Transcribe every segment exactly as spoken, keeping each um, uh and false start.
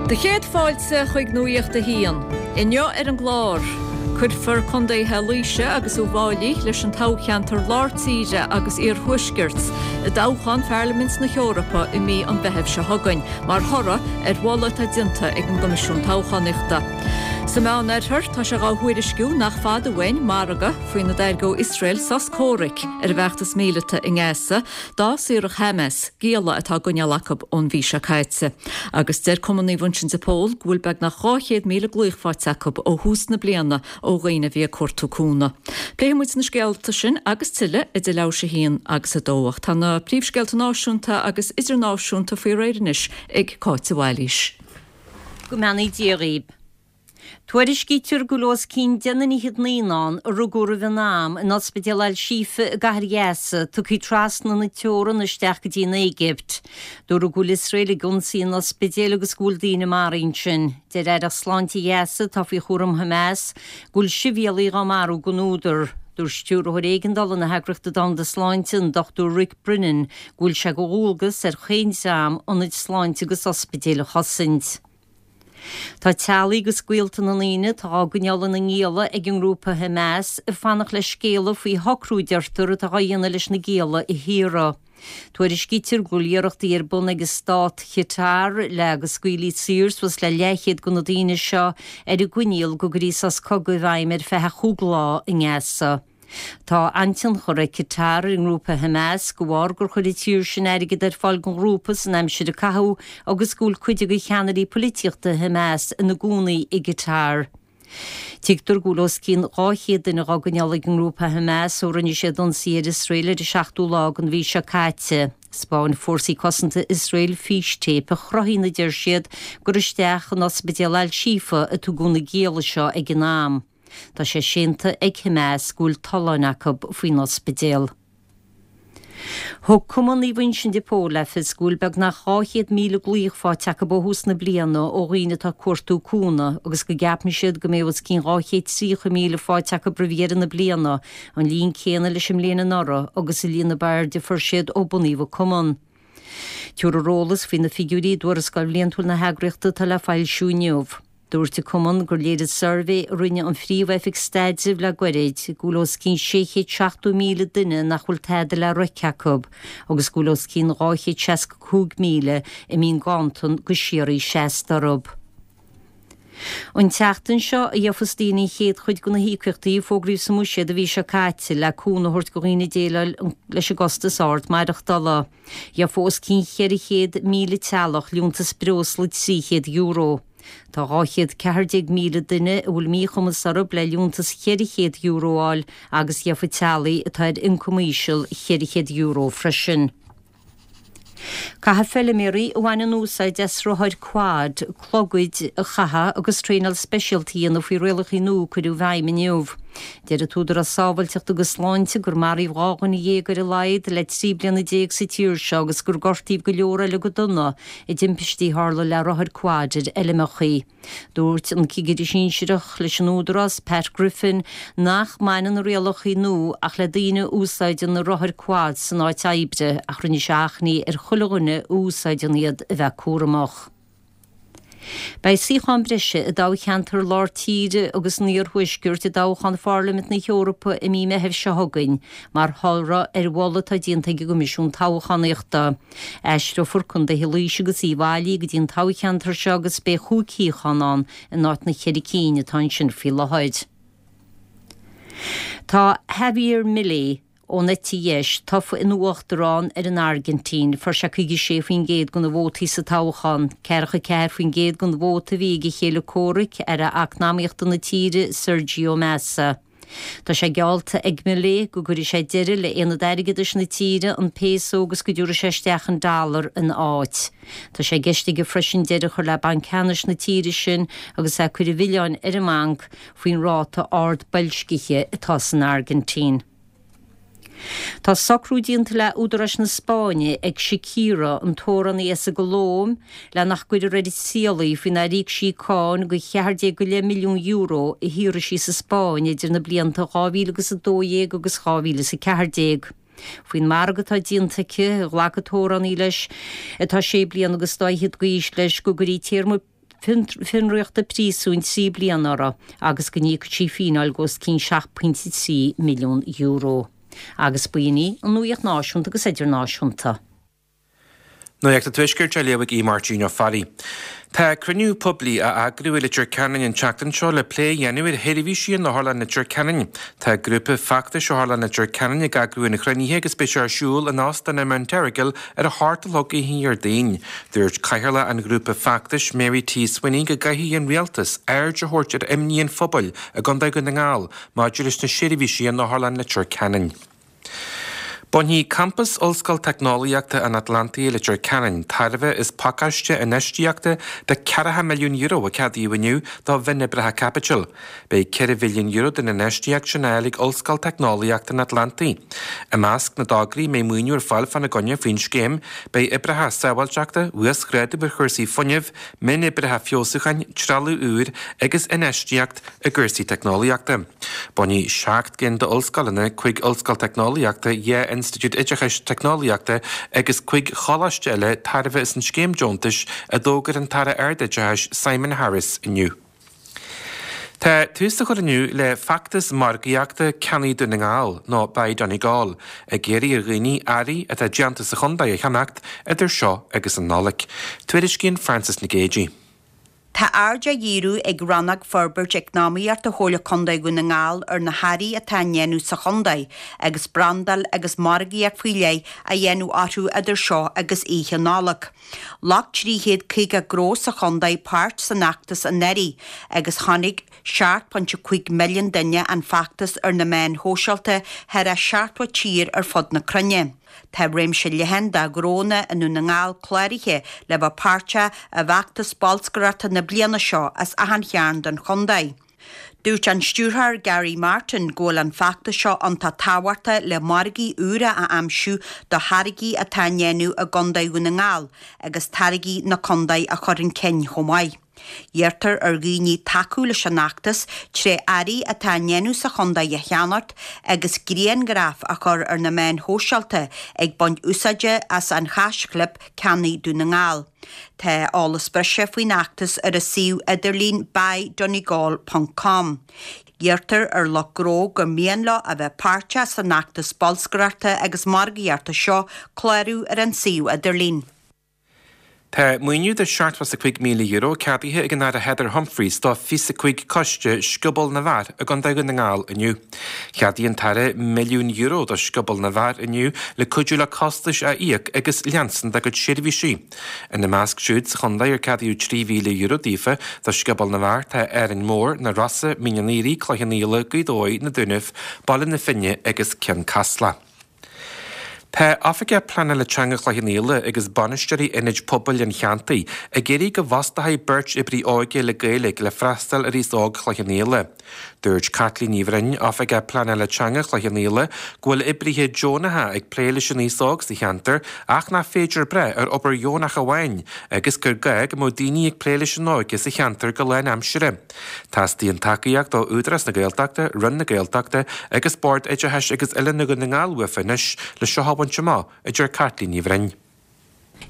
Do chéad fáilte chuig Nuacht a hAon. Inniu ar an gclár. Cuirfear Contaetha Laoise agus Uíbh Fhailí leis an toghcheantar Lár Tíre agus Iarthuaiscirt i dtoghchán Pharlaimint na hEorpa i mí an Mheithimh seo chugainn, mar thoradh ar mholadh atá déanta ag an gCoimisiún Toghchánaíochta. Sa Mheánoirthear tá sé á thuairisciú nach fada uainn margadh faoina dtairgeodh Iosrael sos comhraic ar an bhfeachtas míleata i nGaza dá saorfadh Hamas gialla atá á gcoinneáil acu ón mhí seo caite. Agus deir Cumann Naomh Uinseann de Pól go bhfuil beagnach dhá chéad míle glaoch faighte acu ó thús na bliana ó dhaoine a bhí ag cuartú cúnamh. Pléifidh muid na scéalta sin agus tuilleadh idir leathuair tar éis a haon agus a dó ach tá na príomhscéalta náisiúnta agus idirnáisiúnta faoi réir anois ag Cáit Bhailís. Go mbeannaí Dia dhaoibh. Tuairiscítear go bhfuil os cionn deich nduine fhichead naíonán a rugadh roimh an am in ospidéal Al-Shifa i gcathair Ghaza tugtha trasna na teorann isteach go dtí an Éigipt. Dúradh go bhfuil Iosrael ag ionsaí an ospidéil agus go bhfuil daoine maraithe ansin. Deir Aireacht Sláinte Ghaza atá faoi chúram Hamas go bhfuil sibhialaigh á marú gan údar. Dúirt stiúrthóir éigeandála na hEagraíochta Domhanda Sláinte an Dr Rick Brennan go bhfuil sé de dhualgas ar chaon dream ionaid sláinte agus ospidéil a chosaint. Tá teaghlaigh agus gaolta na ndaoine atá á gcoinneáil ina ngialla ag an ngrúpa Hamas ag fanacht le scéala faoi shocrú deirtear atá á dhéanamh leis na gialla a shaoradh. Tuairiscítear go bhfuil iarrachtaí ar bun ag stát Qatar le go scaoilfí saor suas le leathchéad de na daoine seo ar an gcoinníoll go gcuirfí sos cogaidh i bhfeidhm ar feadh chúig lá i nGaza. Tá an-tionchar ag Qatar ar an ngrúpa Hamas de bharr gur chuir an tír sin airgead ar fáil don ghrúpa san aimsir a caitheadh agus go bhfuil cuid de cheannairí polaitíochta Hamas ina gcónaí i gCatar. Tuigtear go bhfuil os cionn dhá chéad duine á gcoinneáil ag an ngrúpa Hamas ó rinne siad ionsaí ar Iosrael ar an seachtú lá den mhí seo caite. Thaispeáin fórsaí cosanta Iosrael fístéip a chruthaíonn a deir siad gur isteach in ospidéal Al-Shifa a tugadh na gialla seo ag an am. Tá sé séanta ag Hamas go bhfuil tolláin acu faoin ospidéal. Thug Cumann Naomh Uinseann de Pól le fios go bhfuil beagnach dhá chéad míle glaoch faighte acu ó thús na bliana ó dhaoine atá ag cuartú cúnamh agus go gceapann siad go mbeidh os cionn dhá chéad tríocha míle faighte acu roimh dheireadh na bliana, an líon céanna leis an mbliain anuraidh agus an líon ab airde a fuair siad ó bunaíodh an cumann. Tabharfar eolas faoi na figiúirí i dtuarascáil bhliantúil na heagraíochta atá le foilsiú inniu. Dúirt an cumann gur léirigh suirbhé a rinne an Phríomh-Oifig Staidrimh le gairid go bhfuil os cionn sé chéad seachtó míle duine nach bhfuil tada le reic acu agus go bhfuil os cionn dhá chéad seasca cúig míle a mbíonn ganntan go síoraí seasta orthu. An tseachtain seo a gheofas daoine an chéad chuid de na híocaíochtaí a fógraíodh sa mbuiséad an mhí seo caite le cúnamh a thabhairt do dhaoine déileáil leis an gcostas ard maireachtála. Gheofa os cionn cheithre chéad míle teaghlach liúntas breosla trí chéad euro. Tá dhá chéad ceathair déag míle duine a bhfuil míchumas orthu le liúntas cheithre chéad euro a fháil agus gheofa teaghlaigh atá ar ioncam íseal cheithre chéad euro freisin. Caithfidh feilméaraí a bhaineann úsáid as rothair quad, clogaid a chaitheamh agus traenáil speisialta a dhéanamh faoi rialacha nua a cuireadh i bhfeidhm inniu. Deir an tÚdarás Sábháilteachta agus Sláinte gur maraíodh dhá dhuine dhéag ar a laghad le trí bliana déag sa tír seo agus gur gortaíodh go leor eile go dona i dtimpistí a tharla le rothair quad ar fheilmeacha. Dúirt an cigire sinsearach leis an Údarás, Pat Griffin, nach mbaineann na rialacha nua ach le daoine a úsáideann na rothair quad san áit oibre ach rinne sé achainí ar chuile dhuine a úsáideann iad a bheith cúramach. Beidh suíochán breise i dtoghcheantar lár tíre agus an iarthuaiscirt i dtoghchán Pharlaimint na hEorpa i mí Meithimh seo chugainn, mar thoradh ar mholadh atá déanta ag an gCoimisiún Toghchánaíochta. Aistreofar Contaetha Laoise agus Uíbh Fhailí go dtí an toghcheantar seo agus beidh chúig shuíochán ann in áit na ceithre cinn atá ansin faoi láthair. Tá Javier Milei ón eite dheis tofa ina uachtarán ar an Airgintín, fuair sé caoga sé faoin gcéad de na vótaí sa toghchán. Ceathracha ceathair faoin gcéad den vóta a bhí ag a chéile comhraic, aire eacnamaíochta na tíre, Sergio Massa. Tá sé geallta ag Milei go gcuirfidh sé deireadh le aonad airgeadais na tíre, an peso, agus go dtabharfaidh sé isteach an dollar ina áit. Tá sé i gceist aige freisin deireadh a chur le Banc Ceannais na tíre sin agus é ag cur an mhilleáin ar an mbanc faoin ráta ard boilscithe atá san Airgintín. Tá socrú déanta le údaráis na Spáinne ag Shakira, an t-amhránaí as an gColóim, le nach gcuirfear ar a triail í faoi nár íoc sí cáin de cheathair déag go leith milliún euro a shaothraigh sí sa Spáinn idir na blianta dhá mhíle agus a dó dhéag agus dhá mhíle is a ceathair déag. Faoin margadh atá déanta aici, ghlac an t-amhránaí leis, atá sé bliana agus dá fhichead d'aois leis, go gcuirfí téarma fionraíochta príosúin trí bliana uirthi agus go n-íocfadh sí fíneáil de os cionn seacht pointe trí milliún euro. Agus b'in í an nuacht náisiúnta agus idirnáisiúnta. Nuacht an Tuaiscirt á léamh ag Máirtín Ó Fearraigh. Tá cruinniú poiblí á eagrú i Leitir Ceanainn an tseachtain seo le plé a dhéanamh ar sheirbhísí in Otharlann Leitir Ceanainn. Tá grúpa feachtais Otharlann Leitir Ceanainn ag eagrú an chruinnithe agus beidh sé ar siúl in Óstán an Mount Errigal ar a hocht a chlog oíche Dhéardaoin. Dúirt Cathaoirleach an ghrúpa feachtais Mary T. Swinney go gcaithfidh an rialtas aird a thabhairt ar imní an phobail i gContae Dhún na nGall maidir leis na seirbhísí in Otharlann Leitir Ceanainn. Bainfidh Campas Ollscoil Teicneolaíochta an Atlantaigh Leitir Ceanainn tairbhe as pacáiste infheistíochta de ceathracha milliún euro a ceadaíodh inniu do mhionoibreacha caipitil. Beidh ceithre mhilliún euro den infheistíocht sin á fháil ag Ollscoil Teicneolaíochta an Atlantaigh. I measc na dtograí a mbeidh maoiniú ar fáil fána gcoinne faoin scéim, beidh oibreacha sábháilteachta, uasghrádú ar chúrsaí fuinnimh, mionoibreacha feabhsúcháin, trealamh úr agus infheistíocht i gcúrsaí teicneolaíochta. Bainfidh seacht gcinn d'ollscoileanna, cúig ollscoil teicneolaíochta, dhá institiúid oideachais teicneolaíochta agus cúig choláiste eile tairbhe as an scéim deontais a d'fhógair an tAire Ardoideachais Simon Harris inniu. Tá tús á chur inniu le feachtas margaíochta Ceannaigh Dún na nGall nó Buy Donegal, ag iarraidh ar dhaoine earraí atá déanta sa chontae a cheannacht idir seo agus an Nollaig. Tuairiscíonn Frances Nic Géadaigh. Tá aird á dhíriú ag Rannóg Forbairt Eacnamaíochta Chomhairle Contae Dhún na nGall ar na hearraí atá á ndéanamh sa chontae agus brandáil agus margaíocht faoi leith á dhéanamh orthu idir seo agus Oíche Nollag. Ghlac trí chéad caoga gnó sa chontae páirt san fheachtas anuraidh agus chonaic seacht pointe cúig milliún duine an feachtas ar na meáin shóisialta thar a seachtó tír ar fud na cruinne. Tá réimse leathan de ghnónna i nDún na nGall cláraithe le bheith páirteach i bhfeachtas bolscaireachta na bliana seo as achan chearn den chontae. Dúirt an stiúrthóir Gary Martin go bhfuil an feachtas seo iontach tábhachtach le margaí úra a aimsiú do tháirgí atá á ndéanamh i gContae Dhún na nGall agus táirgí na contae a chur chun cinn chomh maith. Iarrtar ar dhaoine tacú leis an fheachtas tré earraí atá á ndéanamh sa chontae a cheannacht agus grianghraif a chur ar na meáin shóisialta ag baint úsáide as an haischlib Ceannaigh Dún na nGall. Tá eolas breise faoin fheachtas ar a suíomh idirlín buydonegal ponc com. Iarrtar ar lucht gnó gur mian leo a bheith páirteach san fheachtas bolscaireachta agus margaíochta seo clárú ar an suíomh idirlín. Tá maoiniú de seachtó is a cúig míle euro ceadaithe ag an Aire Heather Humphreys do fiche a cúig coiste Scioból na bhFear i gContae Dhún na nGall inniu. Cheadaigh an tAire milliún euro do Scioból na bhFear inniu le cuidiú le costais a íoc agus leanstan dá gcuid seirbhísí. Ina measc siúd sa chontae ar ceadaíodh trí mhíle euro daofa do Scioból na bhFear tá Árainn Mhór, na Rosa, Mín an Aoraigh, Cloich Cheann Fhaola, Gaoth Dobhair, na Dúnaibh, Baile na Finne agus Ceann Caslach. Tá Oifigeach Pleanála Teanga Chloich Cheann Fhaola agus bainisteoirí ionaid pobail an cheantair ag iarraidh go bhfostófaí beirt oibrí óige le Gaeilge le freastal ar aos óg Chloich Cheann Fhaola. Dúirt Caitlín Ní Bhroin, Oifigeach Pleanála Teanga Chloich Cheann Fhaola, go bhfuil oibrithe deonacha ag plé leis an aos óg sa cheantar ach nach féidir breith ar obair dheonach amháin agus gur gá go mbeadh daoine ag plé leis an óige sa cheantar go lánaimseartha. Teastaíonn tacaíocht ó Údarás na Gaeltachta, Roinn na Gaeltachta agus Bord Oideachais agus Oiliúna Dhún na nGall uafa anois le seo a bhaint amach, a deir Caitlín Ní Bhroin.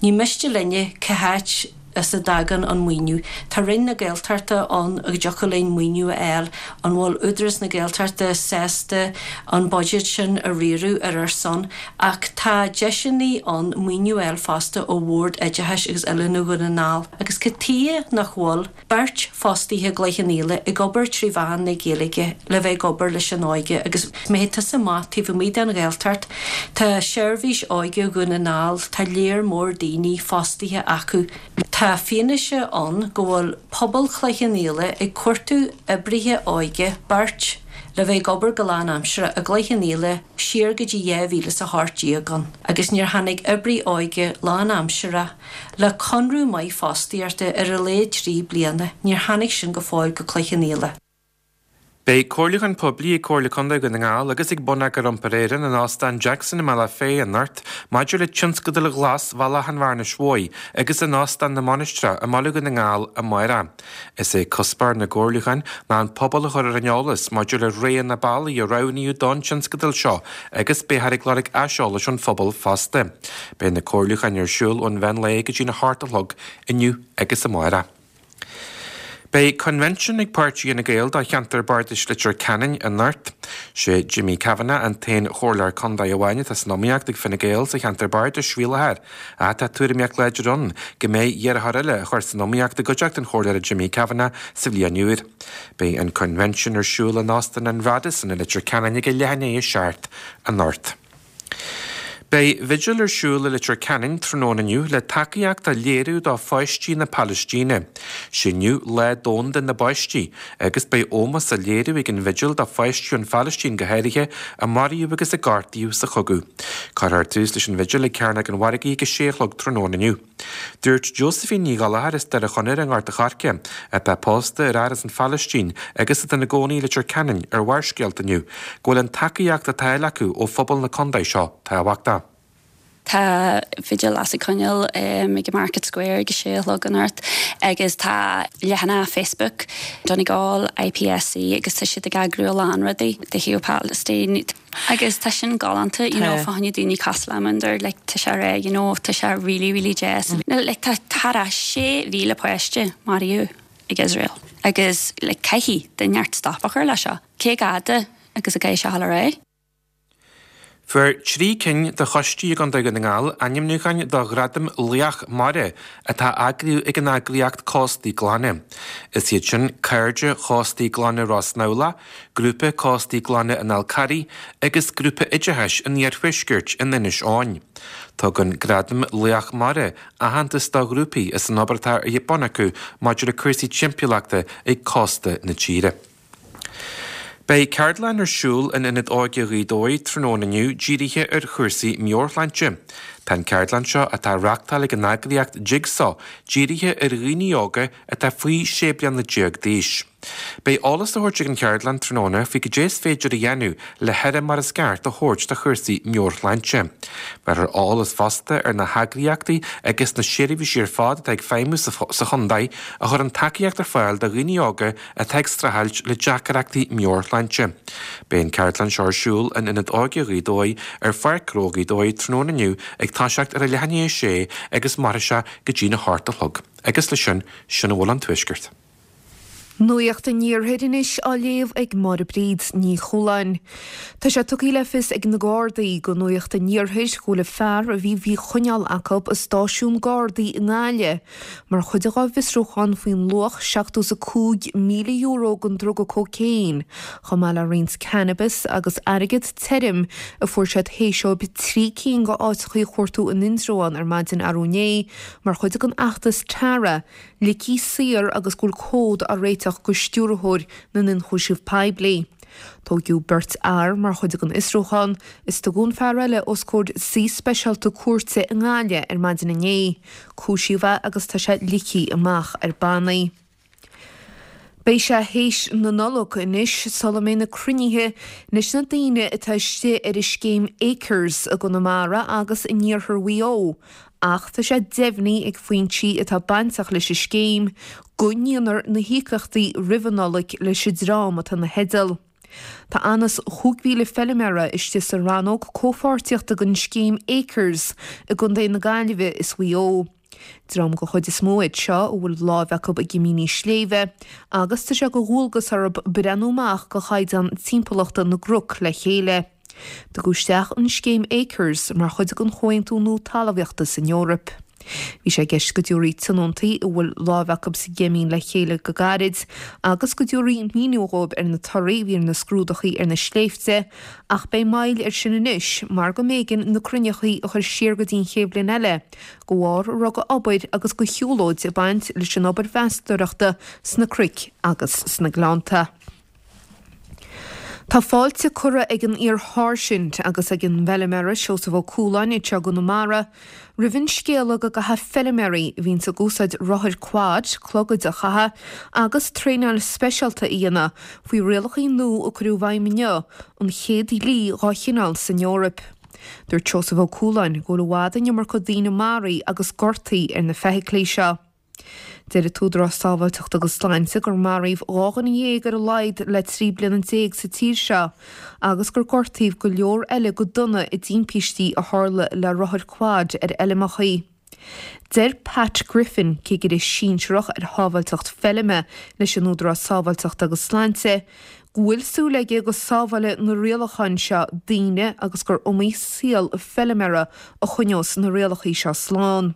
Ní miste linne cá háit as a dtagann an maoiniú. Tá Roinn na Gaeltachta ann go dtiocfadh linn maoiniú a fháil, an bhfuil Údarás na Gaeltachta sásta an buiséad sin a riaradh ar ár son, ach tá deiseanna ann maoiniú a fháil fosta ó Bhord Oideachais agus Oiliúna Dhún na nGall. Agus cad tuighe nach bhfuil beirt fostaithe i gCloich Cheann Fhaola ag obair trí mheán na Gaeilge le bheith ag obair leis an óige agus má théann tusa amach taobh amuigh den Ghaeltacht, tá seirbhís óige Dhún na nGall, tá léar mór daoine fostaithe acu. Tá fianaise ann go bhfuil pobal Chloich Cheann Fhaola ag cuartú oibrithe óige, beirt, le bheith ag obair go lánaimseartha i gCloich Cheann Fhaola siar go dtí dhá mhíle is a hocht déag ann agus níor tháinig oibrí óige lánaimseartha le conradh maith fostaíochta ar a laghad trí bliana, níor tháinig sin go fóill go Cloich Cheann Fhaola. Beidh comhairliúchán poiblí ag Comhairle Contae Dhún na nGall agus ag Bonneagar Iompair Éireann in Óstán Jackson i mBealach Féich anocht maidir le tionscadal ghlas Bhealach an Bhearnais Mhóir agus in Óstán na Mainistreach i mBaile Dhún na nGall amárach. Is é cuspóir na gcomhairliúchán ná an pobal a chur ar an eolas maidir le roghanna bealaí a roghnaíodh don tionscadal seo agus beifear ag lorg aiseolais ón phobal fosta. Beidh na comhairliúcháin ar siúl ón mheán lae go dtí a hocht a chlog inniu agus amárach. Beidh coinbhinsiún ag páirtí Fhine Gael do cheantar bardais Leitir Ceanainn anocht. Sé Jimmy Kavanagh an t-aon chomhairleoir contae amháin atá san iomaíocht ag Fine Gael sa cheantar bardais faoi láthair. Ach tá tuairimíocht láidir ann go mbeidh iarrthóir eile a chur san iomaíocht i gcuideachta an chomhairleora Jimmy Kavanagh sa bhliain úr. Beidh an coinbhinsiún ar siúl in Óstán an Radisson i Leitir Ceanainn ag a leath i ndiaidh a seacht anocht. Beidh vigil ar siúl i Leitir Ceanainn tráthnóna inniu le tacaíocht a léiriú do pháistí na Palaistíne. Sé inniu Lá Domhanda na bPáistí agus beidh ómós á léiriú ag an vigil do pháistí ón Phalaistín go háirithe a maraíodh agus a gortaíodh sa chogadh. Cuirfear tús leis an vigil ag Cearnóg an Mhargaidh ag a sé a chlog tráthnóna inniu. Dúirt Josephine Ní Ghallchóir as Doire Chonaire i nGort a' Choirce, atá pósta ar fhear as an Phalaistín agus atá ina gcónaí i Leitir Ceanainn ar Bharrscéalta inniu, go bhfuil an tacaíocht atá á fháil acu ó phobal na contae seo tábhachtach. Tá vigil las coinneal um, ag Market Square ag sé a chlog anocht agus tá leathanach Facebook Donegal IPSC agus tá siad ag eagrú a lán rudaí de thaobh Palestine. Agus tá sin galánta you know, fá choinne daoine cosúil liom like, tá sé ré you know, tá sé really really deas. Mm. No, like, tá thar sé mhíle páiste maraithe ag Israel. Agus like, caithfidh duine inteacht stop a chur le seo. Cé gada agus a gcaithfidh sé a ré. Fuair trí cinn de choistí i gContae Dhún na nGall ainmniúcháin do Ghradam Laoch Mara atá á eagrú ag an eagraíocht Cóstaí Glana. Is iad sin Cairde Chóstaí Glana Ros nAbhla, Grúpa Cóstaí Glana an Fhál Carraigh agus Grúpa Oideachais an Iarthuaiscirt in Inis Eoghain. Tugann Gradam Laoch Mara aitheantas do ghrúpaí as an obair atá ar bun acu maidir le cúrsaí timpeallachta ag cósta na tíre. Beidh ceardlann ar siúl in Ionad Óige Ghaoth Dobhair tráthnóna inniu dírithe ar chúrsaí meabhairshláinte. Tá an ceardlann seo atá á reáchtáil ag an eagraíocht Jigsaw dírithe ar dhaoine óga atá faoi sé bliana déag d'aois. Beidh eolas á thabhairt ag an cheardlann tráthnóna faoi cad é is féidir a dhéanamh le haire mar is ceart a thabhairt do chúrsaí meabhairshláinte. Beidh eolas fosta ar na heagraíochtaí agus na seirbhísí ar fad atá ag feidhmiú sa chontae a chuireann tacaíocht ar fáil do dhaoine óga atá ag streachailt le deacrachtaí meabhairshláinte. Beidh an ceardlann seo ar siúl in Ionad Óige Ghaoth Dobhair ar Pháirc Ghnó Ghaoth Dobhair tráthnóna inniu ag toiseacht ar a leath i ndiaidh a sé agus mairfidh sé go dtí na hocht a chlog. Agus le sin sin a bhfuil ón Tuaisceart. Nuacht an Iarthair anois á léamh ag Máire Bríd Ní Chualáin. Tá sé tugtha le fios ag na Gardaí do Nuacht an Iarthair go bhfuil fear a bhí faoi choinneáil acu i stáisiún Gardaí i nGaillimh, mar chuid dá bhfiosrúchán faoin luach seachtó is a cúig míle euro den druga cócaon, chomh maith le roinnt cannabis agus airgead tirim a fuair siad théis dóibh trí cinn de áiteacha a chuartú in Indreabhán ar maidin arú inné mar chuid den fheachtas Tara, ligthe saor agus go bhfuil comhad á réiteach go stiúrthóir na n-ionchúiseamh poiblí. Tógadh beirt fhear mar chuid den fhiosrúchán is tugadh an fear eile os comhair suí speisialta cúirte i nGaillimh ar maidin inné. Cúisíodh é agus tá sé ligthe amach ar bannaí. Beidh sé théis na Nollag anois sula mbeidh na cruinnithe leis na daoine atá istigh ar an scéim Acres i gConamara agus in iarthar Mhaigh Eo, ach tá sé deimhnithe ag foinsí atá bainteach leis an scéim go ndéanfar na híocaíochtaí roimh an Nollaig leis an dream atá ina theideal. Tá anuas chúig mhíle feilméara istigh sa rannóg comhpháirtíochta den scéim Acres i gContae na Gaillimhe is Mhaigh Eo. Dream den chuid is mó iad seo a bhfuil lámh acu i gcimíní sléibhe agus tá sé de dhualgas orthu breathnú amach do chaighdeán timpeallachta na gcnoc le chéile. Tugadh isteach an scéim Acres mar chuid den chomhaontú nua talmhaíochta san Eoraip. Bhí sé i gceist go dtabharfaí tionóntaí a bhfuil lámh acu sa gcimín le chéile go gairid agus go dtabharfaí míniú dhóibh ar na torthaí a bhí ar na scrúdachaí ar na sléibhte ach beidh moill air sin anois mar go mb'éigean na cruinneachaí a chur siar go dtí an chéad bhliain eile de bharr a raibh d'obair agus de shiúlóid ag baint leis an obair mheastóireachta sna cnoic agus sna gleannta. Tá fáilte curtha ag an iar-sháirsint agus ag an bhfeilméara Seosamh Ó Cualáin anseo i gConamara roimh an scéala go gcaithfidh feilméaraí a bhíonns ag úsáid rothair quad clogaid a chaitheamh agus traenáil speisialta a dhéanamh faoi rialacha nua a cuireadh i bhfeidhm inniu, an chéad dhlí dá chineál san Eoraip. Dúirt Seosamh Ó Cualáin go bhfuil i bhfad an iomarca daoine maraithe agus gortaithe ar na feithiclí seo. Deir an tÚdarás Sábháilteachta agus Sláinte gur maraíodh dhá dhuine dhéag ar a laghad le trí bliana déag sa tír seo agus gur gortaíodh go leor eile go dona i dtimpistí a tharla le rothair quad ar fheilmeacha. Deir Pat Griffin, cigire sinsearach ar shábháilteacht feilme leis an Údarás Sábháilteachta agus Sláinte, go bhfuil súil aige go sábhálfaidh na rialacháin seo daoine agus gur iomaí saol feilméara a choinneos na rialacha seo slán.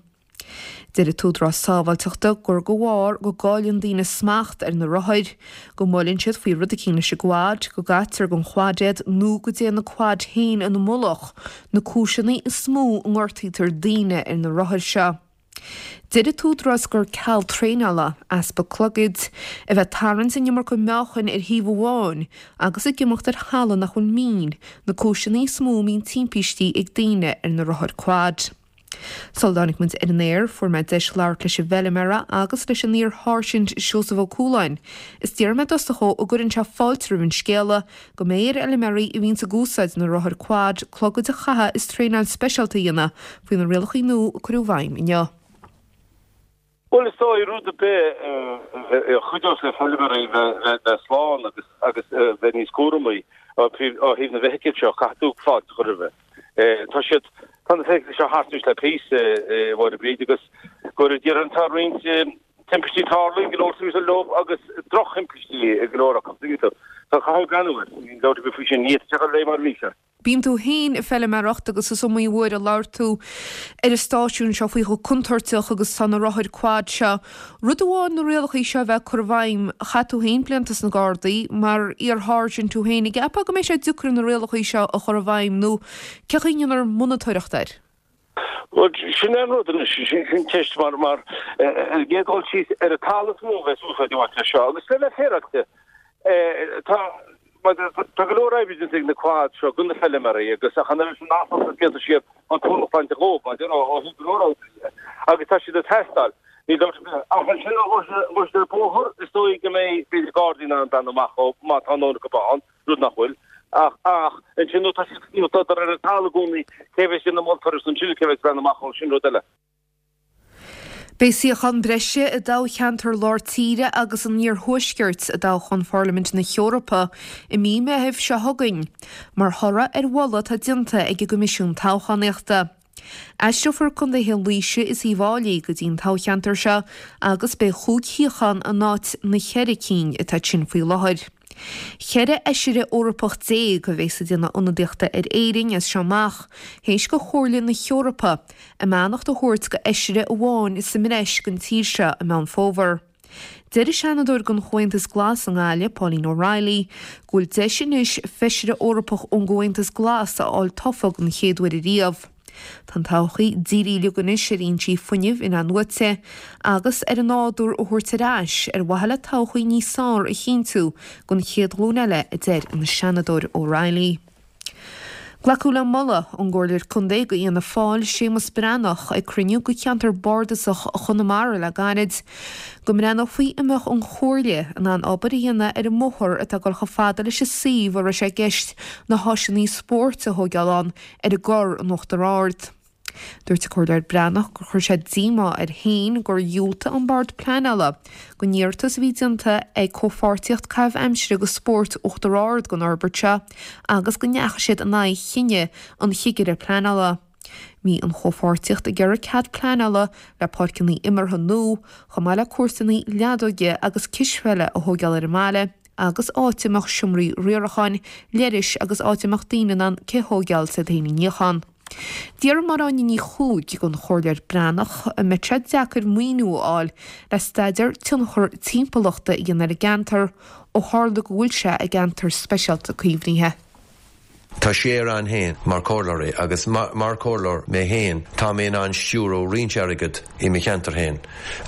Deir an tÚdarás Sábháilteachta gur de bharr go gcailleann daoine smacht ar na rothair, go mbuaileann siad faoi rud eicínt leis an gquad, go gcaitear den quad iad nó go dtéann an quad féin ina mullach, na cúiseanna is mó a ngortaítear daoine ar na rothair seo. Deir an tÚdarás gur ceal traenála, easpa clogaid, a bheith ag tarraingt an iomarca meáchain ar thaobh amháin agus ag imeacht ar thalamh nach bhfuil mín, na cúiseanna is mó a mbíonn timpistí ag daoine ar na rothair quad. Sula dtáinig muid ar an aer, fuair mé deis labhairt leis an bhfeilméara agus leis an iar-sháirsint Seosamh Ó Cualáin is d'fhiafraigh mé i dtosach dhó an gcuireann sé fáilte roimh an scéala go mbeidh ar fheilméaraí a bhíonns ag úsáid na rothair quad clogaid a chaitheamh is traenáil speisialta a dhéanamh faoi na rialacha nua a cuireadh i bhfeidhm inniu. Bhuel, is dóigh rud ar bith a chuideos le feilméaraí bheith slán agus agus bheith níos cúramaí ó thaobh na bhfeithicil seo, caithfidh tú fáilte a chur roimhe. Tá siad, tá na feithiclí seo thart anois le píosa, a Mháire Bríd, agus go déarfainn tá roinnt timpistí tarlaithe, go leor suas leo agus drochthimpistí go leor acu, tuigeann tú. So caithfidh breathnú air, níl dabht ar bith faoi sin, ní fhéadfadh sé a dhul ar aghaidh mar a bhí sé. Bíonn tú féin ag feilméaracht agus is iomaí uair a labhair tú ar an stáisiún seo faoi chomh contúirteach agus atá na rothair quad seo. Rud amháin na rialacha seo a bheith curtha i bhfeidhm, chaith tú féin blianta sna Gardaí, mar iar-sháirsint tú féin, an gceapfá go mbeidh sé deacair na rialacha seo a chur i bhfeidhm nó cén chaoi a ndéanfar monatóireacht air? Bhuel, sin é an rud anois, sin ceist mar, mar ar an gcéad dul síos ar an talamh is mó a bheas úsáid á bhaint as seo agus le bheith féaráilte, tá, Tá go leor oibre déanta ag na quads seo do na feilméaraí agus ach an oiread sin nach blianta siar an t-ualach bainte dhóibh, mar ó thaobh go leor oibre de, agus tá siad ag teastáil. Níl dabht ar bith. Ach ansin ó ghabh siad ar bóthar, is dóigh go mbeidh, b'fhéidir, Gardaí in ann breathnú amach dhóibh má tá a ndóthain acu ann, rud nach bhfuil. Ach, ach ansin nó tá siad, nó tá ar an talamh i gcónaí, cé bheas ag déanamh moltóireacht ansin, cé bheas ag breathnú amach dhóibh, sin rud eile. Beidh suíochán breise i dtoghcheantar Lár Tíre agus an Iarthuaiscirt i dtoghchán Pharlaimint na hEorpa i mí Meithimh seo chugainn, mar thoradh ar mholadh atá déanta ag an gCoimisiún Toghchánaíochta. Aistreofar contaetha Laoise is Uíbh Fháilí go dtí an toghcheantar seo agus beidh chúig shuíochán in áit na ceithre cinn atá ansin faoi láthair. Ceithre fheisire Eorpach déag a bheas ag déanamh ionadaíochta ar Éirinn as seo amach, théis do Chomhairle na hEorpa a mbeannacht a thabhairt do fheisire amháin sa mbreis don tír seo i Meán Fómhair. Deir an Seanadóir don Chomhaontas Glas i nGaillimh, Pauline O'Reilly, go bhfuil deis anois feisire Eorpach ón gComhaontas Glas a fháil tofa den chéad uair ariamh. Tá an todhchaí dírithe uilig anois ar fhoinsí fuinnimh in-athnuaite agus ar an nádúr a thabhairt ar ais ar mhaithe le todhchaí níos fearr a chinntiú don chéad ghlúin eile, a deir an Seanadóir O'Reilly. Glacadh le moladh ón gComhairleoir Contae do Fhianna Fáil, Séamus Breathnach, ag cruinniú de cheantar bardasach Chonamara le gairid, go mbreathnófaí an mbeadh an Chomhairle in ann obair a dhéanamh ar an mbóthar atá ag dul chomh fada leis an suíomh a raibh sé i gceist na háiseanna spóirt a thóigeáil ann ar an gCorr in Uachtar Ard. Dúirt an Comhairleoir Breathnach gur chuir sé díomá air féin gur dhiúltaigh an Bord Pleanála don iarratas a bhí déanta ag Comhpháirtíocht Caitheamh Aimsire agus Spóirt Uachtar Ard don fhorbairt seo agus go ndeachaigh siad in aghaidh chinneadh an Chigire Pleanála. Bhí an Chomhpháirtíocht ag iarraidh cead pleanála le páirceanna imeartha nua, chomh maith le cúrsanna leadóige agus cispheile a thóigeáil ar an mbaile. agus áit a mbeadh seomraí riaracháin, leithris agus áit a mbeadh daoine in ann cith a thóigeáil is iad féin a níochán. D'fhiafraigh Máire Áine Ní Chuaig den Chomhairleoir Breathnach an mbeadh sé deacair maoiniú a fháil le staidéar tionchar timpeallachta a dhéanamh ar an gceantar ó tharla go bhfuil sé i gceantar speisialta caomhnaithe. Tá sé ann féin mar chomhairleoirí agus mar chomhairleoir mé féin tá mé in ann stiúradh roinnt airgead i mo cheantar féin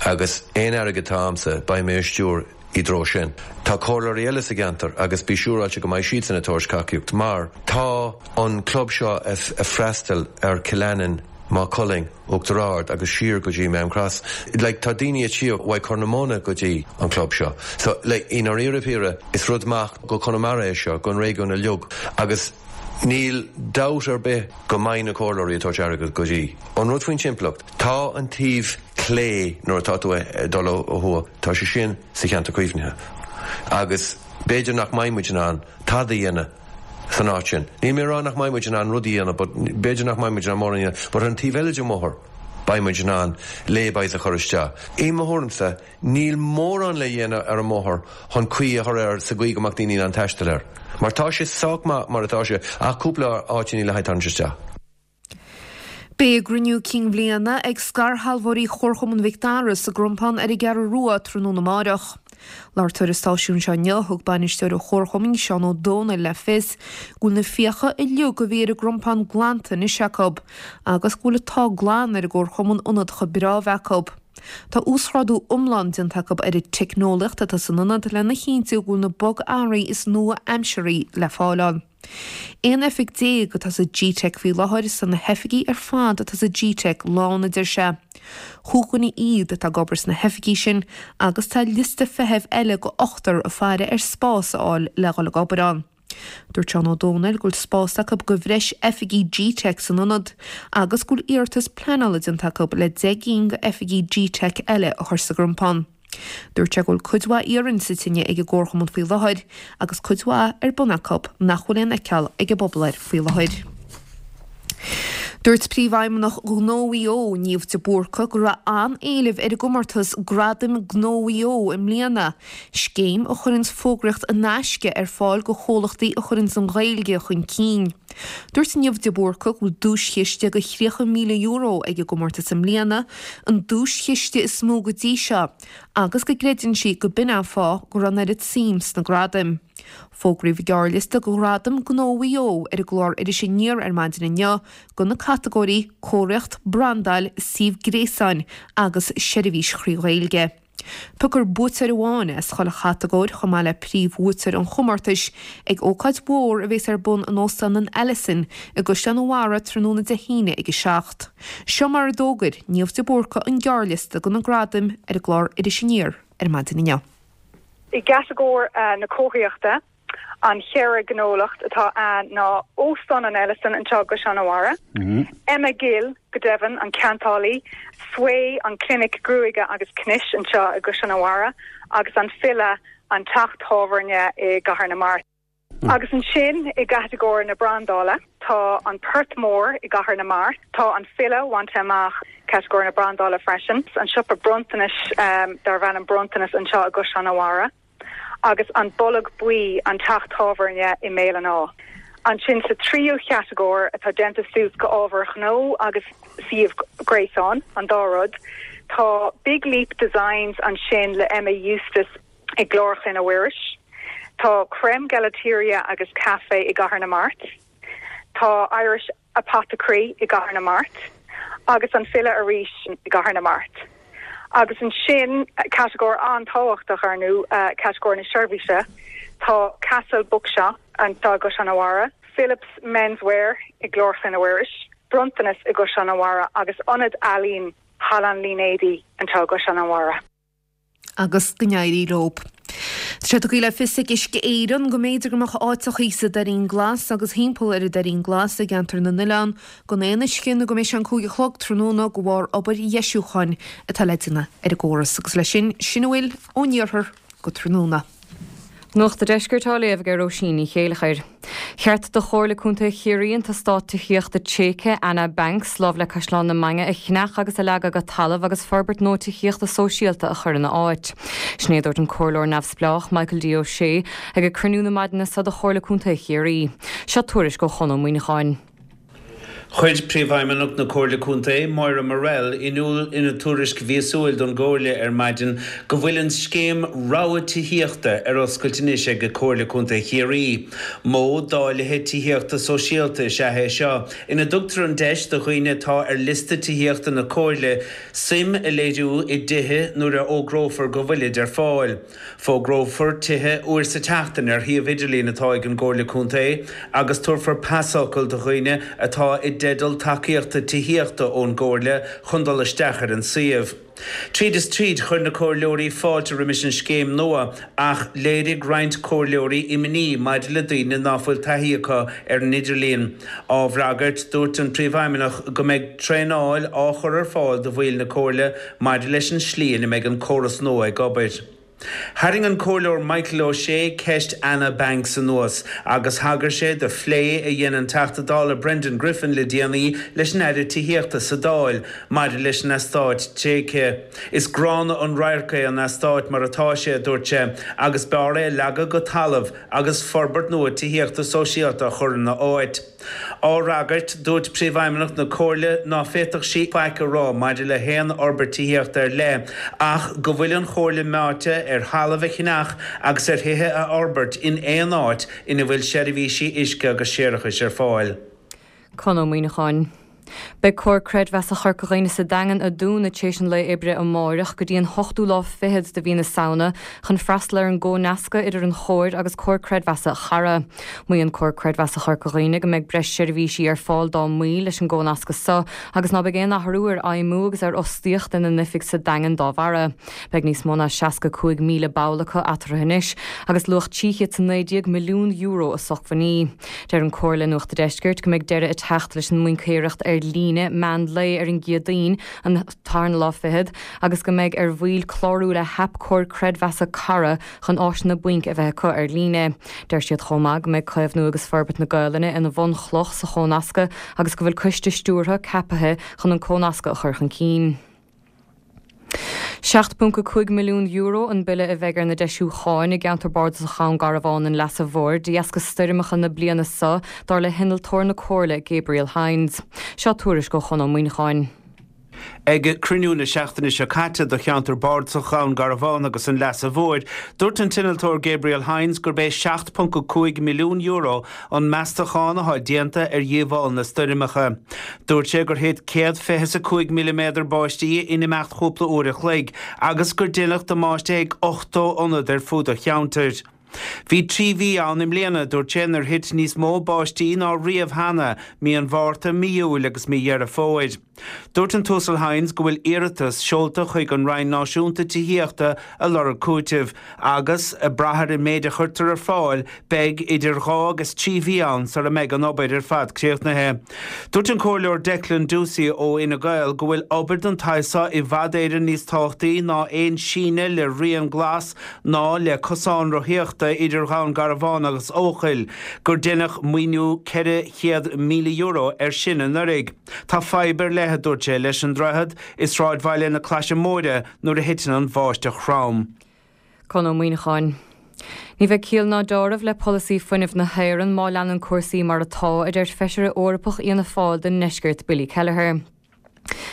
agus aon airgead atá a'msa beidh mé a stiúradh i dtreo sin. Tá comhairleoirí eile sa gceantar agus bí siúráilte go mbeidh siadsan ag tabhairt tacaíocht mar tá an club seo ag freastal ar Cill Aininn, Maigh Cuilinn, Uachtar Ard agus siar go dtí Maam Cross. Like tá daoine ag tíocht uaidh Corr na Móna go dtí an club seo. So like i ndáiríre píre is rud maith go Conamara é seo, gon réigiún uilig agus níl dabht ar bith go mbeidh na comhairleoirí ag tabhairt airgead go dtí. An rud faoin timpeallacht, tá an taobh clé nuair atá tú ag dul ó thuaidh, tá sé sin sa cheantar caomhnaithe agus b'fhéidir nach mbeidh muid in ann tada a dhéanamh san áit sin. Níl mé ag rá nach mbeidh muid in ann rudaí a dhéanamh but b'fhéidir nach mbeidh muid in ann mórán a dhéanamh but ar an taobh eile den bhóthar beidh muid in ann lay-bys a chur isteach. I mo thuairimse, níl mórán le dhéanamh ar an mbóthar chun caoi a chur air sa gcaoi go mbeadh daoine in ann taisteal air. Mar tá sé sách maith mar atá sé ach cúpla áiteanna le haghaidh tarraingt isteach. Beidh a gcruinniú cinn bhliana ag scairshealbhóirí Chomharchumann Mhic Dara sa gCrompán ar an gCeathrú Rua tráthnóna amárach. Labhairt ar an stáisiún seo inniu thug bainisteoir an Chomharchumainn Seán Ó Dónaill le fios go bhfuil na fiacha uilig a bhí ar an gCrompán glanta anois acu agus go bhfuil an t-ádh glan ar an gComharchumann ionad chomh breá a bheith acu. Tá uasghrádú iomlán déanta acu ar an teicneolaíocht atá san ionad lena chinntiú go bhfuil na bogearraí is nua-aimseartha le fáil ann. Aon oifig déag atá sa G-Tech faoi láthair is tá na hoifigí ar fad atá sa G-Tech lán a deir sé. Cúig dhuine iad atá ag obair sna hoifigí sin agus tá liosta feithimh eile go ochtar ag faire ar spás a fháil le dhul ag obair ann. Dúirt Seán Ó Dónaill go bhfuil spás acu go bhreis oifigí G-Tech san ionad agus go bhfuil iarratas pleanála déanta acu le deich gcinn go oifigí G-Tech eile a chur sa gCrompán. Dúirt sé go bhfuil cuid mhaith iarainn sa tine ag an gComharchumann faoi láthair agus cuid mhaith ar bun acu nach bhfuil aon fheiceáil ag an bpobal air faoi láthair. Dúirt Príomhfheidhmeannach Ghnó Mhaigh Eo, Niamh de Búrca, go raibh an-éileamh ar an gcomórtas Gradaim Gnó Mhaigh Eo i mbliana, scéim a chuireann fógraíocht in aisce ar fáil go chomhlachtaí a chuireann an Ghaeilge chun cinn. Dúirt Niamh de Búrca go bhfuil duaischiste go thríocha míle euro ag an gcomórtas i mbliana, an duaischiste is mó go dtí seo, agus go gcreideann sí go b'in an fáth go raibh an oiread suim sna gradaim. Fógraíodh an gearrliosta go Ghradaim Gnó Mhaigh Eo ar an gclár Iris Aniar ar maidin inniu go na catagóirí Cóiríocht, Brandáil, Suíomh Gréasáin agus Seirbhís Thrí Ghaeilge. Piocfar buaiteoir amháin as chuile chatagóir chomh maith le príomhbhuaiteoir an chomórtais ag ócáid mhór a bheas ar bun in Óstán an Ellison i gCaisleán an Bharraigh tráthnóna Dé hAoine ag a seacht. Seo mar a d'fhógair Niamh de Búrca an gearrliosta go na gradaim ar an gclár Iris Aniar ar maidin inniu. I gcatagóir na cóiríochta, an cheithre ghnólacht atá ann ná Óstán an Ellison anseo i gCaisleán an Bharraigh, Emma Gill, go deimhin, an ceantálaí, Sway, an clinic gruaige agus cnis anseo i gCaisleán an Bharraigh, agus an File, an teach tábhairne i gCathair na Mart. Agus ansin i gcatagóir na brandála, tá an Port Mór i gCathair na Mart, tá an File bainte amach catagóir na brandála freisin, an siopa bronntanais darb ainm Bronntanas anseo i gCaisleán an Bharraigh, agus an Bolg Buí, an teach tábhairne i mBéal an Átha. Ansin sa tríú chatagóir atá déanta suas go ábhar gnó agus suíomh gréasáin, an dá rud, tá Big Leap Designs ansin le Emma Eustace i gClár Chlainne Mhuiris, tá Creme Gelateria agus Café i gCathair na Mart, tá Irish Apothecary i gCathair na Mart agus an File arís i gCathair na Mart. Agus ansin, catagóir an-tábhachtach ar ndóigh, catagóir na seirbhíse, tá Castle Bookshop anseo i gCaisleán an Bharraigh, Philips Menswear i gClár Chlainne Mhuiris, Bronntanas i gCaisleán an Bharraigh agus Ionad Ealaíon Halla an Línéadaigh anseo i gCaisleán an Bharraigh. agus go n-éirí leo. Tá sé tugtha le fios ag Uisce Éireann go mb'fhéidir go mbeadh áiteachaí sa Doirín Glas agus thimpeall ar an Doirín Glas i gceantar na nOileán gan aon uisce nó go mbeidh sé an cúig a chlog tráthnóna de bharr obair dheisiúcháin atá le déanamh ar an gcóras. Agus leis sin, sin a bhfuil ón iarthar go tráthnóna. Nuacht an Deiscirt á léamh ag Róisín Ní Chéilleachair. Cheart do Chomhairle Contae Chiarraí an t-eastát tithíochta tréigthe Anna Banks lámh le Caisleán na Mainge a cheannach agus a leagadh go talamh agus forbairt nua tithíochta sóisialta a chur ina áit. Sin é a dúirt an Comhairleoir neamhspleách Michael D O'Shea ag ag cruinniú na maidine seo de Chomhairle Contae Chiarraí. Seo tuairisc ó Chon Ó Muineacháin. Chuir Príomhfheidhmeannach na Comhairle Contae, Moira Murrell, in iúl ina tuairisc mhíosúil don gComhairle ar maidin go bhfuil an scéim Rogha Tithíochta ar oscailt anois ag Comhairle Contae Chiarraí. Modh dáilithe tithíochta sóisialta is ea é seo, ina dtugtar an deis do dhaoine atá ar liosta tithíochta na Comhairle suim a léiriú i dtithe nuair a fhógrófar go bhfuilid ar fáil. Fógrófar tithe uair sa tseachtain ar shuíomh idirlín atá ag an gComhairle Contae agus tabharfar pasfhocal do dhaoine atá i dteideal tacaíochta tithíochta ón gComhairle chun dul isteach ar an suíomh. Tríd is tríd chuir na comhairleoirí fáilte roimis an scéim nua ach léirigh roinnt comhairleoirí imní maidir le daoine ná fuil taithí acu ar an idirlíon. Á bhfreagairt, dúirt an Príomhfheidhmeannach go mbeidh traenáil á chur ar fáil do bhaill na Comhairle maidir leis an slí ina mbeidh an córas nua ag obair. Tharraing an Comhairleoir Michael O'Shea ceist Anna Banks anuas agus thagair sé do phlé a dhein an Teachta Dála Brendan Griffin le déanaí leis an Aire Tithíochta sa Dáil maidir leis an eastát tréigthe. Is gránna an radharc é an eastát mar atá sé, a dúirt sé, agus b'fhearr é a leagadh go talamh agus forbairt nua tithíochta sóisialta a chur ina áit. Á fhreagairt, dúirt Príomhfheidhmeannach na Comhairle ná féadfadh sí faic a rá maidir le haon fhorbairt tithíochta ar leith ach go bhfuil an Chomhairle meáite ar thalamh a cheannach agus ar thithe a fhorbairt in aon áit ina bhfuil seirbhísí uisce agus séarachais ar fáil. Conn Ó Muíneacháin. Beidh Comhar Creidmheasa Chorca Dhuibhne sa Daingean ag dúnadh tar éis an lae oibre amáireach go dtí an hochtú lá fichead de mhí na Samhna chun freastal ar an gcónascadh idir an Chomhar agus Comhar Creidmheasa Chara. Maíonn Comhar Creidmheasa Chorca Dhuibhne go mbeidh breis seirbhísí ar fáil dá mbaill leis an gcónascadh so agus ná beidh aon athrú ar fheidhmiú agus ar fhostaíocht ina n-oifig sa Daingean dá bharra. Beidh níos mó ná seasca cúig míle ball acu eatarthu anois agus luach trí chéad is a naoi déag milliún euro a socmhainní. Deir an Comhar le Nuacht a' Deiscirt go mbeidh deireadh ag teacht leis an mbaincéireacht ar líne meán lae ar an gCéadaoin, an tarna lá fichead, agus go mbeidh ar bhaill clárú le haip Comhar Creidmheasa Cara chun áiseanna bainc a bheith acu ar líne. Deir siad chomh maith go mbeidh caomhnú agus forbairt na Gaelainne ina bhunchloch sa chónascadh agus go bhfuil coiste stiúrtha ceapaithe chun an cónascadh a chur chun cinn. seacht ponc a cúig milliún euro an bille a bheidh ar na deisiúcháin i gceantar bardasach Dhún Garbhán an Leasa Mhóir de dheasca stoirmeacha na bliana seo, dar le hinnealtóir na Comhairle Gabriel Hynes. Seo tuairisc ó Chonn Ó Muíneacháin. Ag cruinniú na seachtaine seo caite do cheantar bardasach Dhún Garbhán agus an Leasa Mhóir, dúirt an t-innealtóir Gabriel Hynes gurb é seacht ponc a cúig milliún euro an meastachán atá déanta ar dhíobháil na stoirmeacha. Dúirt sé gur thit céad fiche is a cúig milliméadar báistí in imeacht chúpla uair a chloig agus gur deineadh damáiste ag ochtó ionad ar fud an cheantair. Bhí trí mhí ann i mbliana, dúirt sé, inar thit níos mó báistí ná riamh cheana, mí an Mhárta, mí Iúil agus mí Dheireadh Fómhair. Dúirt an tUasal Hynes go bhfuil iarratas seolta chuig an Roinn Náisiúnta Tithíochta ag lorg cúitimh agus, ag brath ar an méid a chuirtear ar fáil, beidh idir dhá agus trí mhí ann sara mbeidh an obair ar fad críochnaithe. Dúirt an Comhairleoir Declan Ducey ó Fhine Gael go bhfuil obair den tsaghas seo i bhfad Éireann níos tábhachtaí ná aon síneadh le rian glas ná le cosán rothaíochta idir Dhún Garbhán agus Eochaill, gur deineadh maoiniú ceithre chéad míle euro air sin anuraidh. Tá fadhb ar leith, a dúirt sé, leis an droichead i sráidbhaile na Claise Móire nuair a thiteann an bháisteach throm. Conn Ó Muíneacháin. Ní bheidh ciall ná deáramh le polasaí fuinnimh na hÉireann má leanann cúrsaí mar atá, a deir Feisire Eorpach Fhianna Fáil don nDeisceart Billy Kelleher.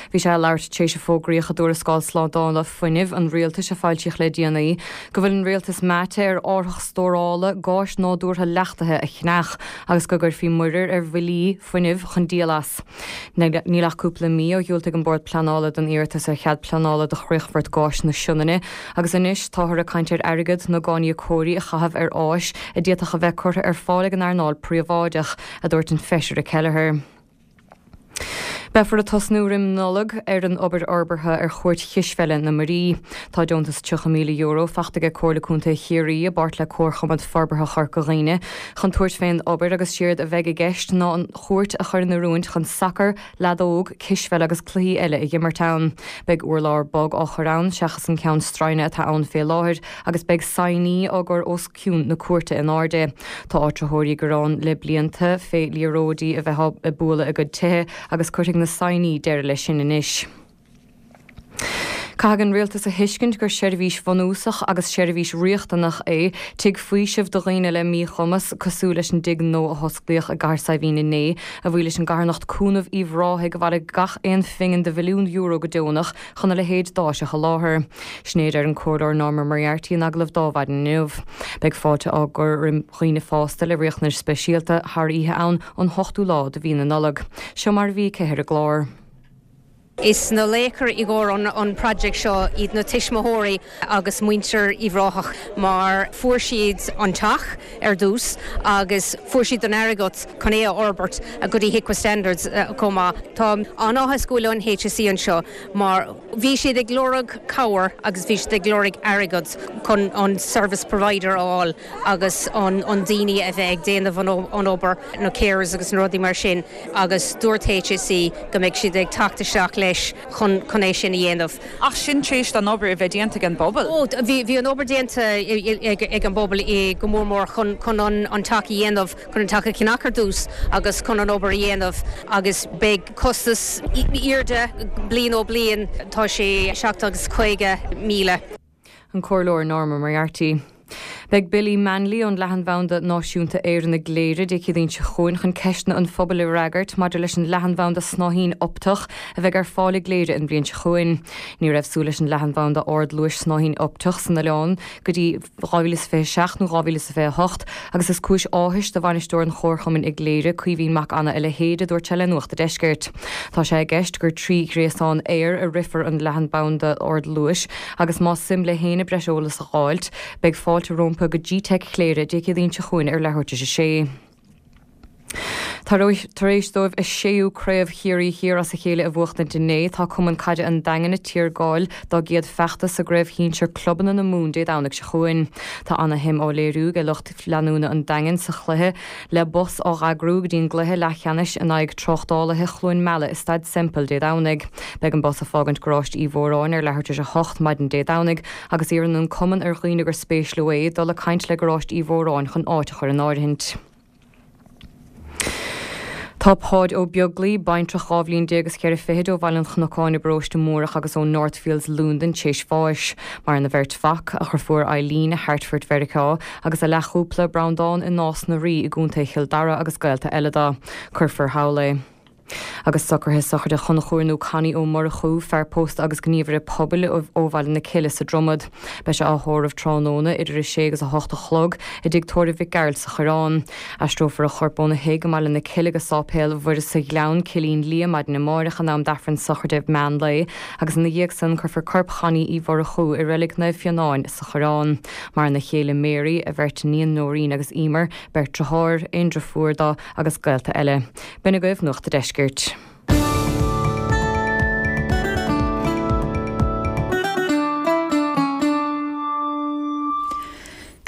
Bhí sé ag labhairt tar éis a fógraíodh i dtuarascáil slándála fuinnimh an rialtais a foilsíodh le déanaí go bhfuil an rialtas meáite ar árthach stórála gáis nádúrtha leachtaithe a cheannach agus go gcuirfí muirear ar bhillí fuinnimh chun díol as. Níl ach cúpla mí ó dhiúltaigh an Bord Pleanála don iarratas ar chead pleanála do chríochfort gáis na Sionainne agus anois táthar ag caint ar airgead na gcáiníocóirí a chaitheamh ar áis a d'fhéadfadh a bheith curtha ar fáil ag an earnáil phríobháideach, a dúirt an Feisire Kelleher. Beifear ag tosnú roim Nollaig ar an obair fhorbartha ar Chúirt Chispheile na Muirí. Tá deontas tríocha míle euro faighte aige Comhairle Contae Chiarraí i bpáirt le Comharchumann Forbartha Chorca Dhuibhne chun tabhairt fén obair agus séard a bheidh i gceist ná an chúirt a chur in oiriúint chun sacar, leadóg, cispheil agus cluichí eile a dh'imirt ann. Beidh urlár bog á chur ann seachas an ceann stroighne atá ann fé láthair agus beidh saighní á gcur os cionn na cúirte in airde. Tá áitritheoirí ag gearán le blianta fé liathróidí a bheith ag bualadh a gcuid tithe agus cuirfidh na saighní deireadh leis sin anois. Caithfidh an Rialtas a thuiscint gur seirbhís bhunúsach agus seirbhís riachtanach é tigh faoisimh do dhaoine le míchumas, cosúil leis an dtigh nua a hosclaíodh i gCathair Saidhbhín inné, a bhuí leis an gcarthanacht Cúnamh Uíbh Ráthaigh a bhailigh gach aon phingin de mhilliún euro go deonach chun a leithéid d'áis a sholáthar. Sin é a deir an Comhairleoir Norma Moriarty in agallamh d'Adhmhaidin inniu. Beidh fáilte á gcur roimh dhaoine fásta le riachtanais speisialta thar oíche ann ón hochtú lá de mhí na Nollag. Seo mar a bhí aici ar an gclár. Is na laochra i gcomhair an project seo iad na tuismitheoirí agus muintir Uíbh Ráthach mar fuair siad an teach ar dtús agus fuair siad an airgead chun é a fhorbairt go dtí HIQA standards chomh maith. Tá an-áthas go bhfuil an HSE anseo mar bhí siad ag lorg cabhair agus bhí siad ag lorg airgead chun an service provider a fháil agus an an daoine a bheith ag déanamh an obair, na carers agus na rudaí mar sin agus dúirt HSE go mbeidh siad ag teacht isteach le deis chun chun é sin a dhéanamh. Ach sin tar éis an obair a bheith déanta ag an bpobal? Ó, bhí bhí an obair déanta ag ag an bpobal i go mór mór chun chun an an teach a dhéanamh, chun an teach a cheannach ar dtús agus chun an obair a dhéanamh agus beidh costas airde bliain ó bliain tá sé seacht agus caoga míle. An Comhairleoir Norma Moriarty. Beidh Billy Manley ón Leathanbhanda Náisiúnta Éireann i gCléire Dé Céadaoin seo chugainn chun ceisteanna an phobail a fhreagairt maidir leis an leathanbhanda snáithín optach a bheidh ar fáil i gCléire an bhliain seo chugainn. Ní raibh súil leis an leathanbhanda ardluais snáithín optach san oileán go dtí dhá mhíle is fiche a seacht nó dhá mhíle is fiche a hocht agus is cúis áthais do bhainisteoir an Chomharchumainn i gCléire, Caoimhín Mac Anna a leithéid, a dúirt sé le Nuacht an Deiscirt. Tá sé i gceist gur trí ghréasán aeir a rithfear an leathanbhanda ardluais agus más suim le héinne breis eolas a fháilt, beidh fáilte rompu go G-Teic Chléire Dé Céadaoin seo chugainn ar leathuair tar éis a sé. Tar éis dóibh a séú Craobh Chiarraí Thiar as a chéile a bhuachtaint inné, tá Cumann Caide an Daingin ag tiargáil dá gcéad feachtas sa gCraobh Shinsir Clubanna na Mumhan Dé Domhnaigh seo chugainn. Tá ana-shuim á léiriú ag lucht leanúna an Daingin sa chluiche le bus á eagrú go dtí an gcluiche leathcheannais in aghaidh Tráchtálaithe Chluain Meala i Staid Semple Dé Domhnaigh. Beidh an bus ag fágaint Garáiste Uí Mhóráin ar leathuair tar éis a hocht maidin Dé Domhnaigh agus iarrann an cumann ar dhaoine gur spéis leo é dul ag caint le Garáiste Uí Mhóráin chun áit a chur in áirithint. Tá Páid Ó Beaglaoi, baintreach dhá bhliain déag is ceithre fichid ó Bhaile an Chnocáin i bparóiste Múrach agus ó Northfields, Londain, théis bháis. Maireann a bheirt mhac, a dheirfiúr Eileen i Hartford, Mheiriceá, agus a leathchúpla, Breandán i Nás na Rí i gContae Chill Dara agus gaolta eile dó. Cuirfear thall é. Agus socruithe sochraide Chonchúir nó Connie Ó Murchú, fear pósta agus gníomhaire pobail ó Bhaile na Cille sa Dromad. Beidh sé á thórramh tráthnóna idir a sé agus a hocht a chlog i dTigh Tórraimh Mhic Gearailt sa Choireán. Aistreofar a chorp óna thigh i mBaile na Cille go Sáipéal Mhuire sa Ghleann, Cillín Liath, maidin amáireach in am d'Aifreann sochraide meán lae agus ina dhiaidh san cuirfear corp Chonnie Uí Mhurchú i Reilig Naomh Fionáin sa Choireán. Maireann a chéile Mary, a bheirt iníon Nóirín agus Emer, beirt deartháir, aon deirfiúr dó agus gaolta eile. B'in agaibh Nuacht a' Deiscirt.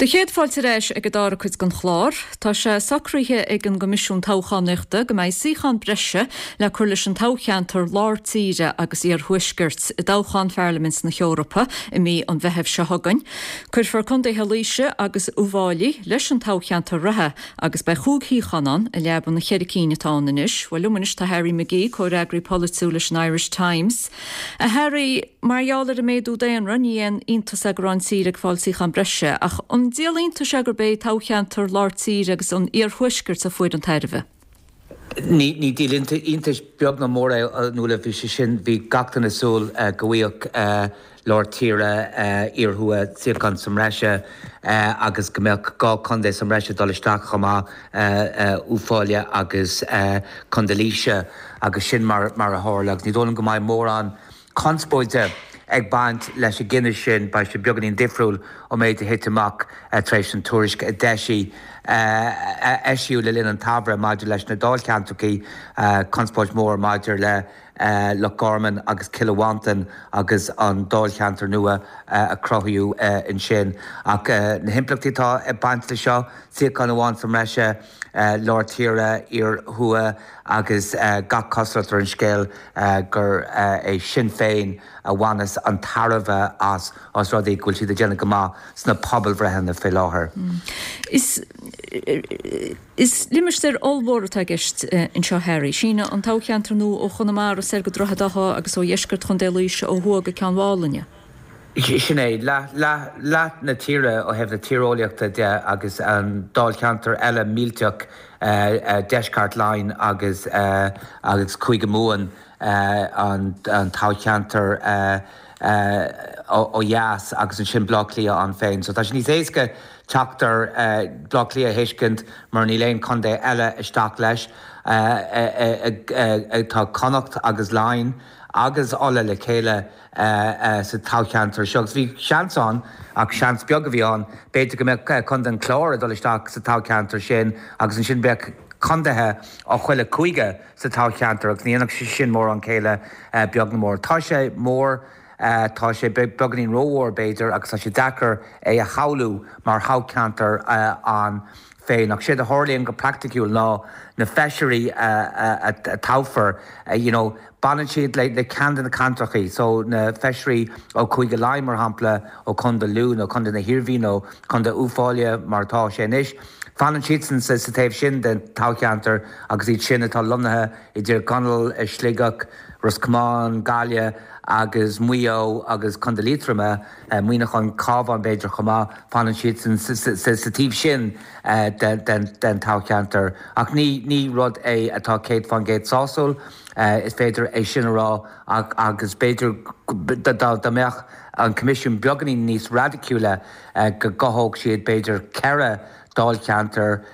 Do chéad fáilte ar ais ag an dara cuid den chlár. Tá sé socraithe ag an gCoimisiún Toghchánaíochta go mbeidh suíochán breise le cur leis an toghcheantar lár tíre agus iarthuaiscirt i dtoghchán Pharlaimint na hEorpa i mí an Mheithimh seo chugainn. Cuirfear contaetha Laoise agus Uíbh Fhailí leis an toghcheantar reatha agus beidh chúig shuíochán ann i leaba na cheithre cinn atá ann anois. Bhuel liom anois tá Harry McGee, comhfhreagraí polaitiúil leis an Irish Times. A Harry, mar gheall ar an méadú daonra, ní haon iontas é go raibh an tír ag fáil suíochán breise, ach an díol iontais é gurb é toghcheantar lár tíre agus an iarthuaiscirt a fuair an tairbhe? Ní ní díol iontais beag ná mór é a Nuala, bhí sé sin, bhí gach duine ag súil go bhfaigheadh lár tíre, iarthuath suíochán sa mbreise agus go mbeadh dhá chontae sa mbreise dul isteach chomh maith, Uíbh Fhailí agus Contae Laoise agus sin mar mar a tharla agus ní dóigh liom go mbeidh mórán conspóide ag baint leis an gcinneadh sin. Beidh sé beagáinín difriúil ón méid a thit amach tar éis an tuairisc a d'eisigh a eisíodh le linn an tsamhraidh maidir leis na dáilcheantracha, conspóid mhór maidir le Loch Garman agus Cill Mhantáin agus an dáilcheantar nua a cruthaíodh ansin. Ach na himpleachtaí atá ag baint leis seo, suíochán amháin sa mbreise, lár tíre, iar-thuath agus gach cosúlacht ar an scéal gur é Sinn Féin a bhaineas an tairbhe as, os rud é go bhfuil siad ag déanamh go maith sna pobalbhreitheanna faoi láthair. Is Is limistéar ollmhór atá i gceist anseo, Harry. Síneann an toghcheantar nua ó Chonamara soir go Droichead Átha agus ó dheisceart Chontae Laoise ó thuaidh go Ceann Mhálainne. Sin é, leath, leath, leath na tíre ó thaobh na tíreolaíochta de agus an dáilcheantar eile millteach, Deisceart Laighean agus, agus Cúige Mumhan, an toghcheantar ó dheas agus ansin Baile Átha Cliath ann féin. So tá sé níos éasca teacht ar Bhaile Átha Cliath a thuiscint mar níl aon chontae eile isteach leis. Tá Connacht agus Laighin agus Ulaidh le chéile sa toghcheantar seo agus bhí seans ann, ach seans beag a bhí ann, b'fhéidir go mbeadh Contae an Chláir ag dul isteach sa toghcheantar sin agus ansin bheadh contaetha ó chuile chúige sa toghcheantar agus ní dhéanfadh sé sin mórán céille beag ná mór. Tá sé mór, tá sé beagáinín rómhór b'fhéidir agus tá sé deacair é a shamhlú mar thoghcheantar ann féin. Ach séard a tharlaíonn go praiticiúil ná na feisirí a toghfar, you know, Baineann siad le le ceann de na ceantrachaí, so na feisirí ó Chúige Laighean, mar shampla, ó Chontae Lú nó Contae na hIarmhí nó Contae Uíbh Fhailí mar atá sé anois, fanann siadsan sa sa taobh sin den toghcheantar agus iad sin atá lonnaithe i dTír Chonaill, i Sligeach, Ros Comáin, Gaillimh agus Maigh Eo agus Contae Liatroma, Muineachán, Cabhán b'fhéidir chomh maith, fanann siadsan sa taobh sin den toghcheantar. Ach ní ní rud é atá céad fán gcéad sásúil, is féidir é sin a rá agus b'fhéidir dá mbeadh an Coimisiún beagáinín níos raidiciúla go gcothódh siad b'fhéidir ceithre dáilcheantar,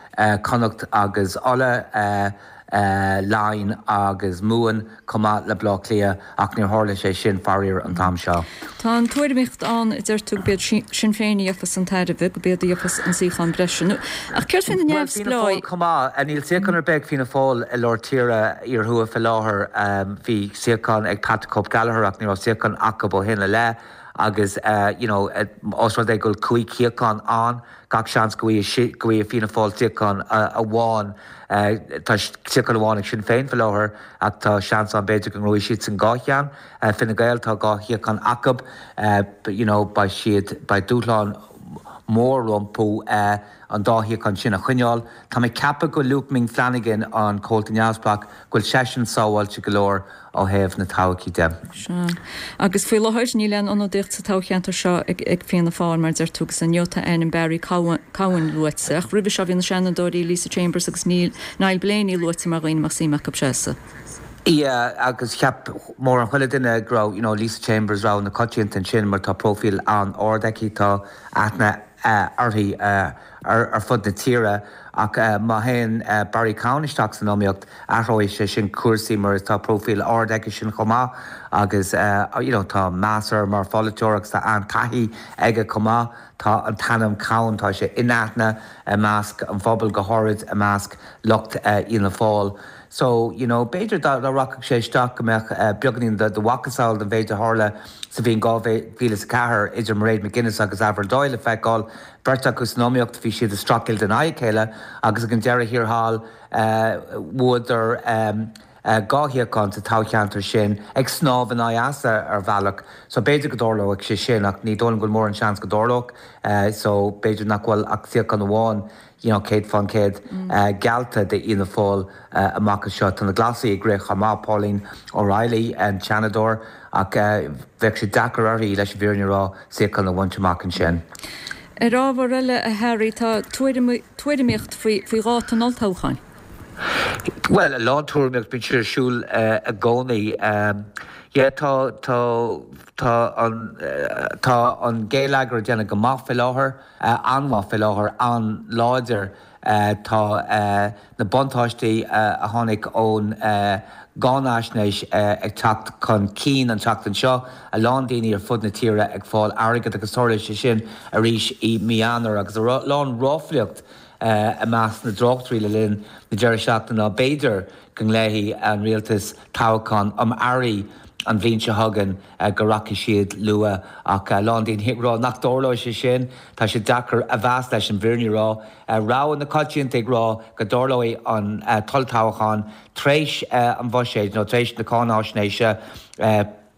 Connacht agus Uladh, Laighin agus Mumhan chomh maith le Baile Átha Cliath ach níor tharla sé sin faraor an t-am seo. Tá an tuairimíocht ann, a deir tú, go b'iad Sinn Féin a gheofas an tairbhe, go b'iad a gheofas an suíochán breise. Ach céard faoi na Bhuel, Fianna Fáil neamhspleáigh? chomh maith. Níl suíochán ar bith ag Fianna Fáil i lár tíre, iar-thuaidh fé láthair. Bhí suíochán ag Patrick Hope Gallagher ach ní raibh suíochán acu ó shin i leith agus you know os rud é go bhfuil cúig shuíochán ann, gach seans go bhfaighidh Fianna Fáil suíochán amháin. Tá suíochán amháin ag Sinn Féin faoi láthair ach tá seans ann b'fhéidir go ngnóthóidh siadsan dhá cheann. Fine Gael, tá dhá shuíochán acu. You know beidh siad, beidh dúshlán mór rompu an dá shuíochán sin a choinneáil. Tá mé ag ceapadh go bhfuil Luke Ming Flanagan, an comhalta neamhspleách, go bhfuil seisean sábháilte go leor ó thaobh na todhchaí de. Sea. Agus faoi láthair níl aon ionadaíocht sa toghcheantar seo ag Fianna Fáil, mar a deir tú, agus inniu tá ainm Barry Cowen luaite. Ach roimhe seo bhí na Seanadóirí Lisa Chambers agus Niall Blaney luaite mar dhaoine a mbeadh suim acu seasamh. Yeah, agus cheap mórán chuile duine go raibh, you know, Lisa Chambers rogha na coitianta ansin mar tá próifíl an-ard aici, tá aithne uirthi ar fud na tíre ach má théann Barry Cowen isteach san iomaíocht, athróidh sé sin cúrsaí mar tá próifíl ard aigesean chomh maith agus you know tá meas air mar pholaiteoir agus tá an-taithí aige chomh maith. Tá an t-ainm Cowen, tá sé in aithne i measc an phobail, go háirid i measc lucht Fhianna Fáil. So, you know, b'fhéidir dá rachadh sé isteach go mbeadh beagáinín de mhacasamhail den mhéid a tharla sa bhliain dhá mhíle is a ceathair idir Mairead McGuinness agus Avril Doyle le feiceáil. Beirt acu san iomaíocht, bhí siad ag streachailt in aghaidh a chéile agus ag an deireadh thiar thall bhuadar dhá shuíochán sa toghcheantar sin, ag snámh in aghaidh easa ar bhealach. So b'fhéidir go dtarlóidh sé sin ach ní dóigh liom go bhfuil mórán seans go dtarlódh. So b'fhéidir nach bhfuil ach suíochán amháin you know céad fán chéad geallta d'Fhianna Fáil amach anseo. Tá na Glasaigh ag rith chomh maith, Pauline O'Reilly, an Seanadóir, ach bheadh sé deacair uirthi, leis an bhfírinne a rá, suíochán a bhaint amach ansin. Ar ábhar eile, a Harry, tá tuairimíocht faoi dháta an olltoghcháin. Bhuel, a lán tuairimíocht, bíonn sé ar siúl i gcónaí. Yeah, tá, tá, tá an, tá an geilleagar ag déanamh go maith faoi láthair, an-mhaith faoi láthair, an-láidir. Tá na buntáistí a tháinig ón gcáinaisnéis ag teacht chun cinn an tseachtain seo, a lán daoine ar fud na tíre ag fáil airgead agus tarlóidh sé sin arís i mí Eanáir agus a lán ráflaíocht i measc na dtráchtairí le linn na deireadh seachtaine ná b'fhéidir go nglaofaidh an rialtas toghchán um earraigh an bhliain seo chugainn go rachaidh siad luath ach a lán daoine ag rá nach dtarlóidh sé sin. Tá sé deacair a mheas leis an bhfírinne a rá. Rogha na coitianta ag rá go dtarlóidh an t-olltoghchán tar éis an bhuiséid nó tar éis na cáináisnéise.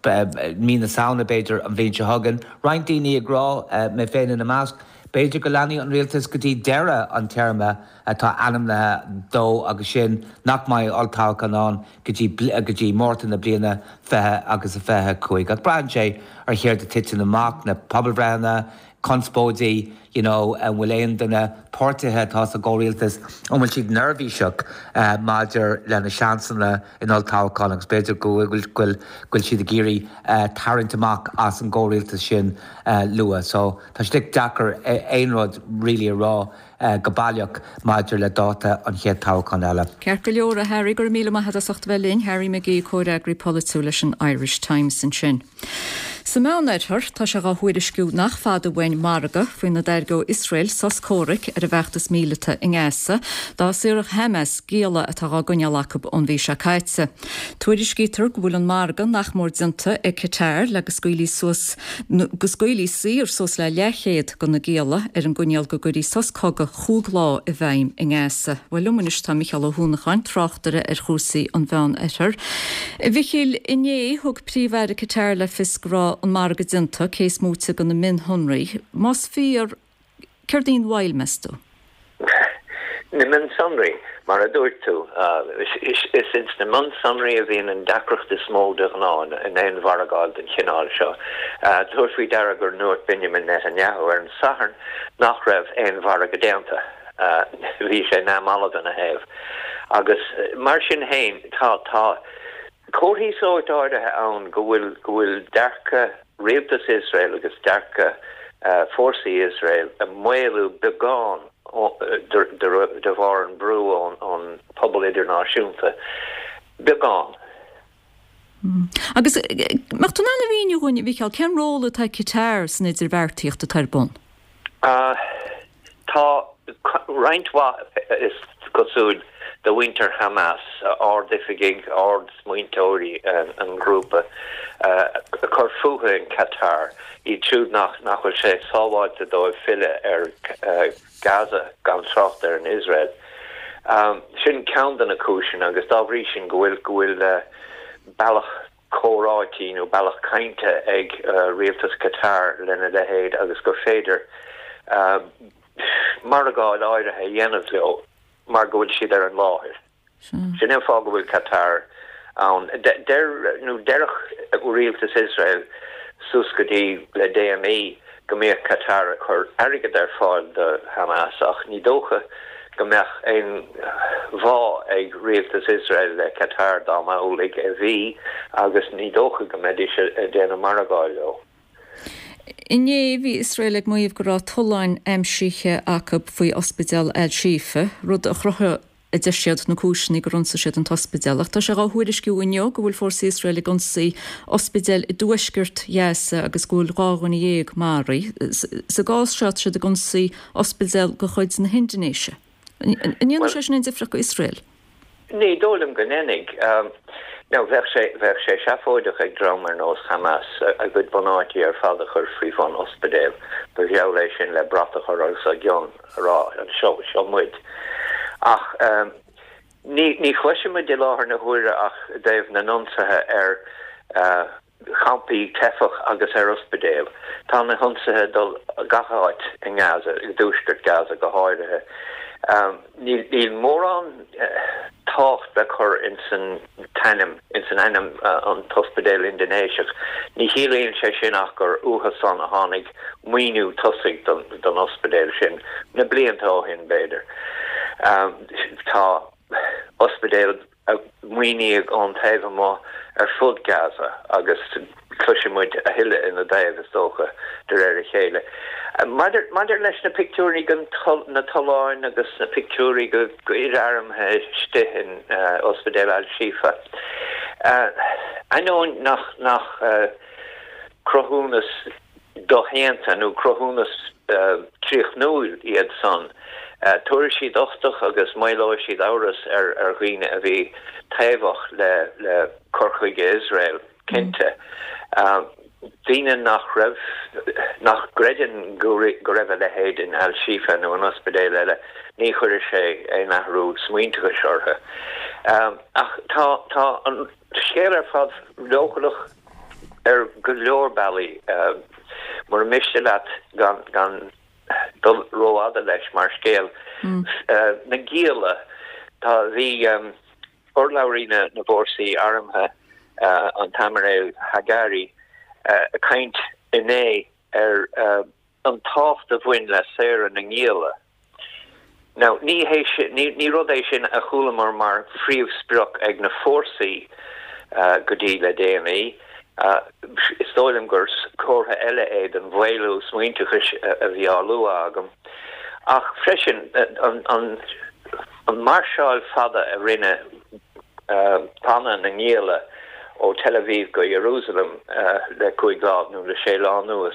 mí na Samhna b'fhéidir an bhliain seo chugainn. Roinnt daoine ag rá, mé féin ina measc, b'fhéidir go leanfaidh an rialtas go dtí deireadh an téarma atá ainmnithe dó agus sin nach mbeidh olltoghchán ann go dtí go dtí Márta na bliana fiche agus a fiche a cúig. Ach braitheann sé ar chéard a titeann amach, na pobalbhreitheanna, conspóidí, you know, an bhfuil aon de na páirtithe atá sa gcomhrialtas, an bhfuil siad neirbhíseach maidir lena seansanna in olltoghchán agus b'fhéidir go bhfuil, go bhfuil siad ag iarraidh tarraingt amach as an gcomhrialtas sin luath. So tá sé deacair aon rud really a rá go baileach maidir le dáta an chéad toghchán eile. Ceart go leor, a Harry, go raibh míle maith agat as ucht a bheith linn. Harry McGee, comhfhreagraí polaitiúil leis an Irish Times ansin. Sa Meánoirthear, tá sé á thuairisciú nach fada uainn margadh faoina dtairgeodh Iosrael sos comhraic ar an bhfeachtas míleata i nGaza dá saorfadh Hamas gialla atá á gcoinneáil acu ón mhí seo caite. Tuairiscítear go bhfuil an margadh nach mór déanta ag Qatar le go scaoilfí suas go scaoilfí saor suas le leathchéad de na gialla ar an gcoinníoll go gcuirfí sos cogaidh chúig lá i bhfeidhm i nGaza. Bhuel liom anois tá Micheál Ó hUanacháin, tráchtaire ar chúrsaí an Mheánoirthir. A Mhichíl, inné thug Príomh-Aire Qatar le fios go raibh an margadh déanta, cé is móite de na mionshonraí. Más fíor, céard í an mhoill, meas tú? Na mionsonraí, mar a dúirt tú. Is ins na mionsonraí a bhíonn an deacracht is mó de ghnáth in aon mhargáil den chineál seo. Tabhair faoi deara gur ndúirt Benjamin Netanyahu ar an Satharn nach raibh aon mhargadh déanta. Bhí sé neamhbhalbh ina thaobh. Agus mar sin féin, tá tá comharthaí sóirt áirithe ann go bhfuil go bhfuil dearcadh rialtas Iosrael agus dearcadh fórsaí Iosrael ag maolú beagán de bharr an brú ón pobal idirnáisiúnta. Beagán. Agus mbeadh tú in ann a mhíniú dhúinn, a Mhichíl, cén ról atá ag Qatar san idirbheartaíocht atá ar bun? Tá roinnt mhaith, is cosúil, de mhuintir Hamas, ardoifigigh, ardsmaointeoirí an ghrúpa, ag cur fúthu in Qatar, iad siúd nach bhfuil sé sábháilte dóibh filleadh ar Gaza, gan trácht ar an Iosrael. Sin ceann de na cúiseanna agus dá bhrí sin go bhfuil go bhfuil bealach comhráití nó bealach cainte ag rialtas Qatar lena leithéid agus gur féidir margáil áirithe a dhéanamh leo mar go bhfuil siad ar an láthair. Sin é an fáth go bhfuil Qatar ann. Deir nó deireadh rialtas Iosrael suas go dtí le déanaí go mbíodh Qatar ag cur airgead ar fáil do Hamas ach ní dócha go mbeadh aon bhá ag rialtas Iosrael le Qatar dá mba amhlaidh a bhí agus ní dócha go mbeidís ag déanamh margáil leo. Inné bhí Iosrael ag maíomh go raibh tolláin aimsithe acu faoi ospidéal Al-Shifa, rud a chruthaigh, a deir siad, na cúiseanna gur ionsaigh siad an t-ospidéal. Ach tá sé á thuairisciú inniu go bhfuil fórsaí Iosrael ag ionsaí ospidéal i dtuaisceart Ghaza agus go bhfuil dhá dhuine dhéag maraithe. Sa gcás seo tá siad ag ionsaí ospidéal de chuid na hIndinéise. An ndéanfaidh sé sin aon difríocht do Iosrael? Ní dóigh liom go ndéanfaidh. Now, bheadh sé, bheadh sé seafóideach ag dream ar nós Hamas a gcuid bunáití ar fad a chur faoi bhun ospidéil. Ba gheall é sin le brat a chur os a gcionn, a rá, anseo, seo muid. Ach ní, ní chloisimid i láthair na huaire ach i dtaobh na n-ionsaithe ar champaí teifeach agus ar ospidéil. Tá na hionsaithe ag dul gach áit i nGaza, i dtuaisceart Gaza go háirithe. Níl mórán tábhacht le cur ins an t-ainm, ins an ainm an t-ospidéal Indinéiseach. Ní chiallaíonn sé sin ach gur uathu san a tháinig maoiniú tosaigh don ospidéal sin, na blianta ó shin b'fhéidir. Tá ospidéil a maoiníodh ón taobh amuigh ar fud Gaza agus cloisfidh muid a thuilleadh ina dtaobh, is dócha, de réir a chéile. Maidir leis na pictiúirí de na tolláin agus na pictiúirí de fhir armtha istigh in Ospidéal Al-Shifa, ainneoin nach cruthúnas doshéanta nó cruthúnas críochnúil iad san, tabharfaidh siad uchtach agus maolóidh siad amhras ar dhaoine a bhí taobhach le cur chuige Iosrael, cinnte. Daoine nach raibh, nach gcreideann go raibh a leithéid in Al-Shifa nó in ospidéal eile, ní chuirfidh sé aon athrú smaointeachais orthu. Ach tá an scéal ar fad leochaileach. ar go leor bealaí. Mura miste leat gan gan dul rófhada leis mar scéal. Na gialla, tá, bhí urlabhraí na na bhfórsaí armtha, an tAimiréal Hagari, ag caint inné ar an tábhacht a bhain le saoradh na ngialla. Now, ní hé sin, ní rud é sin a chualamar mar phríomhsprioc ag na fórsaí go dtí le déanaí. Is dóigh liom gur comhartha eile é den mhaolú smaointeachais a bhí á lua agam. Ach freisin, an máirseáil fada a rinne banna na ngialla ó Tel Aviv go Jerusalem le cúig lá nó le sé lá anuas.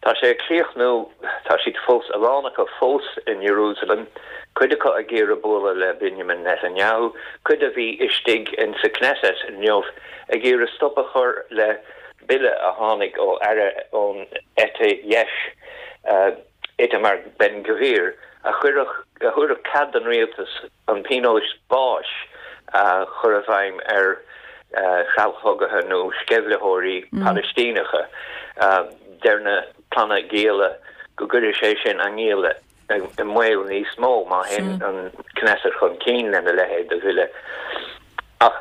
Tá sé ag críochnú, tá siad fós, a lán acu fós in Jerusalem, cuid acu ag iarraidh bualadh le Benjamin Netanyahu, cuid a bhí istigh in sa Knesset inniu ag iarraidh stop a chur le bille a tháinig ó aire ón eite dheis, Itamar Ben Gvir, a chuirfeadh, a thabharfadh cead don rialtas an pionós báis a chur i bhfeidhm ar threallchogaithe nó sceimhlitheoirí Palaistíneacha. Deir na clanna gialla go gcuirfidh sé sin a ngialla i mbaol níos mó má théann an Knesset chun cinn lena leithéid de bhille. Ach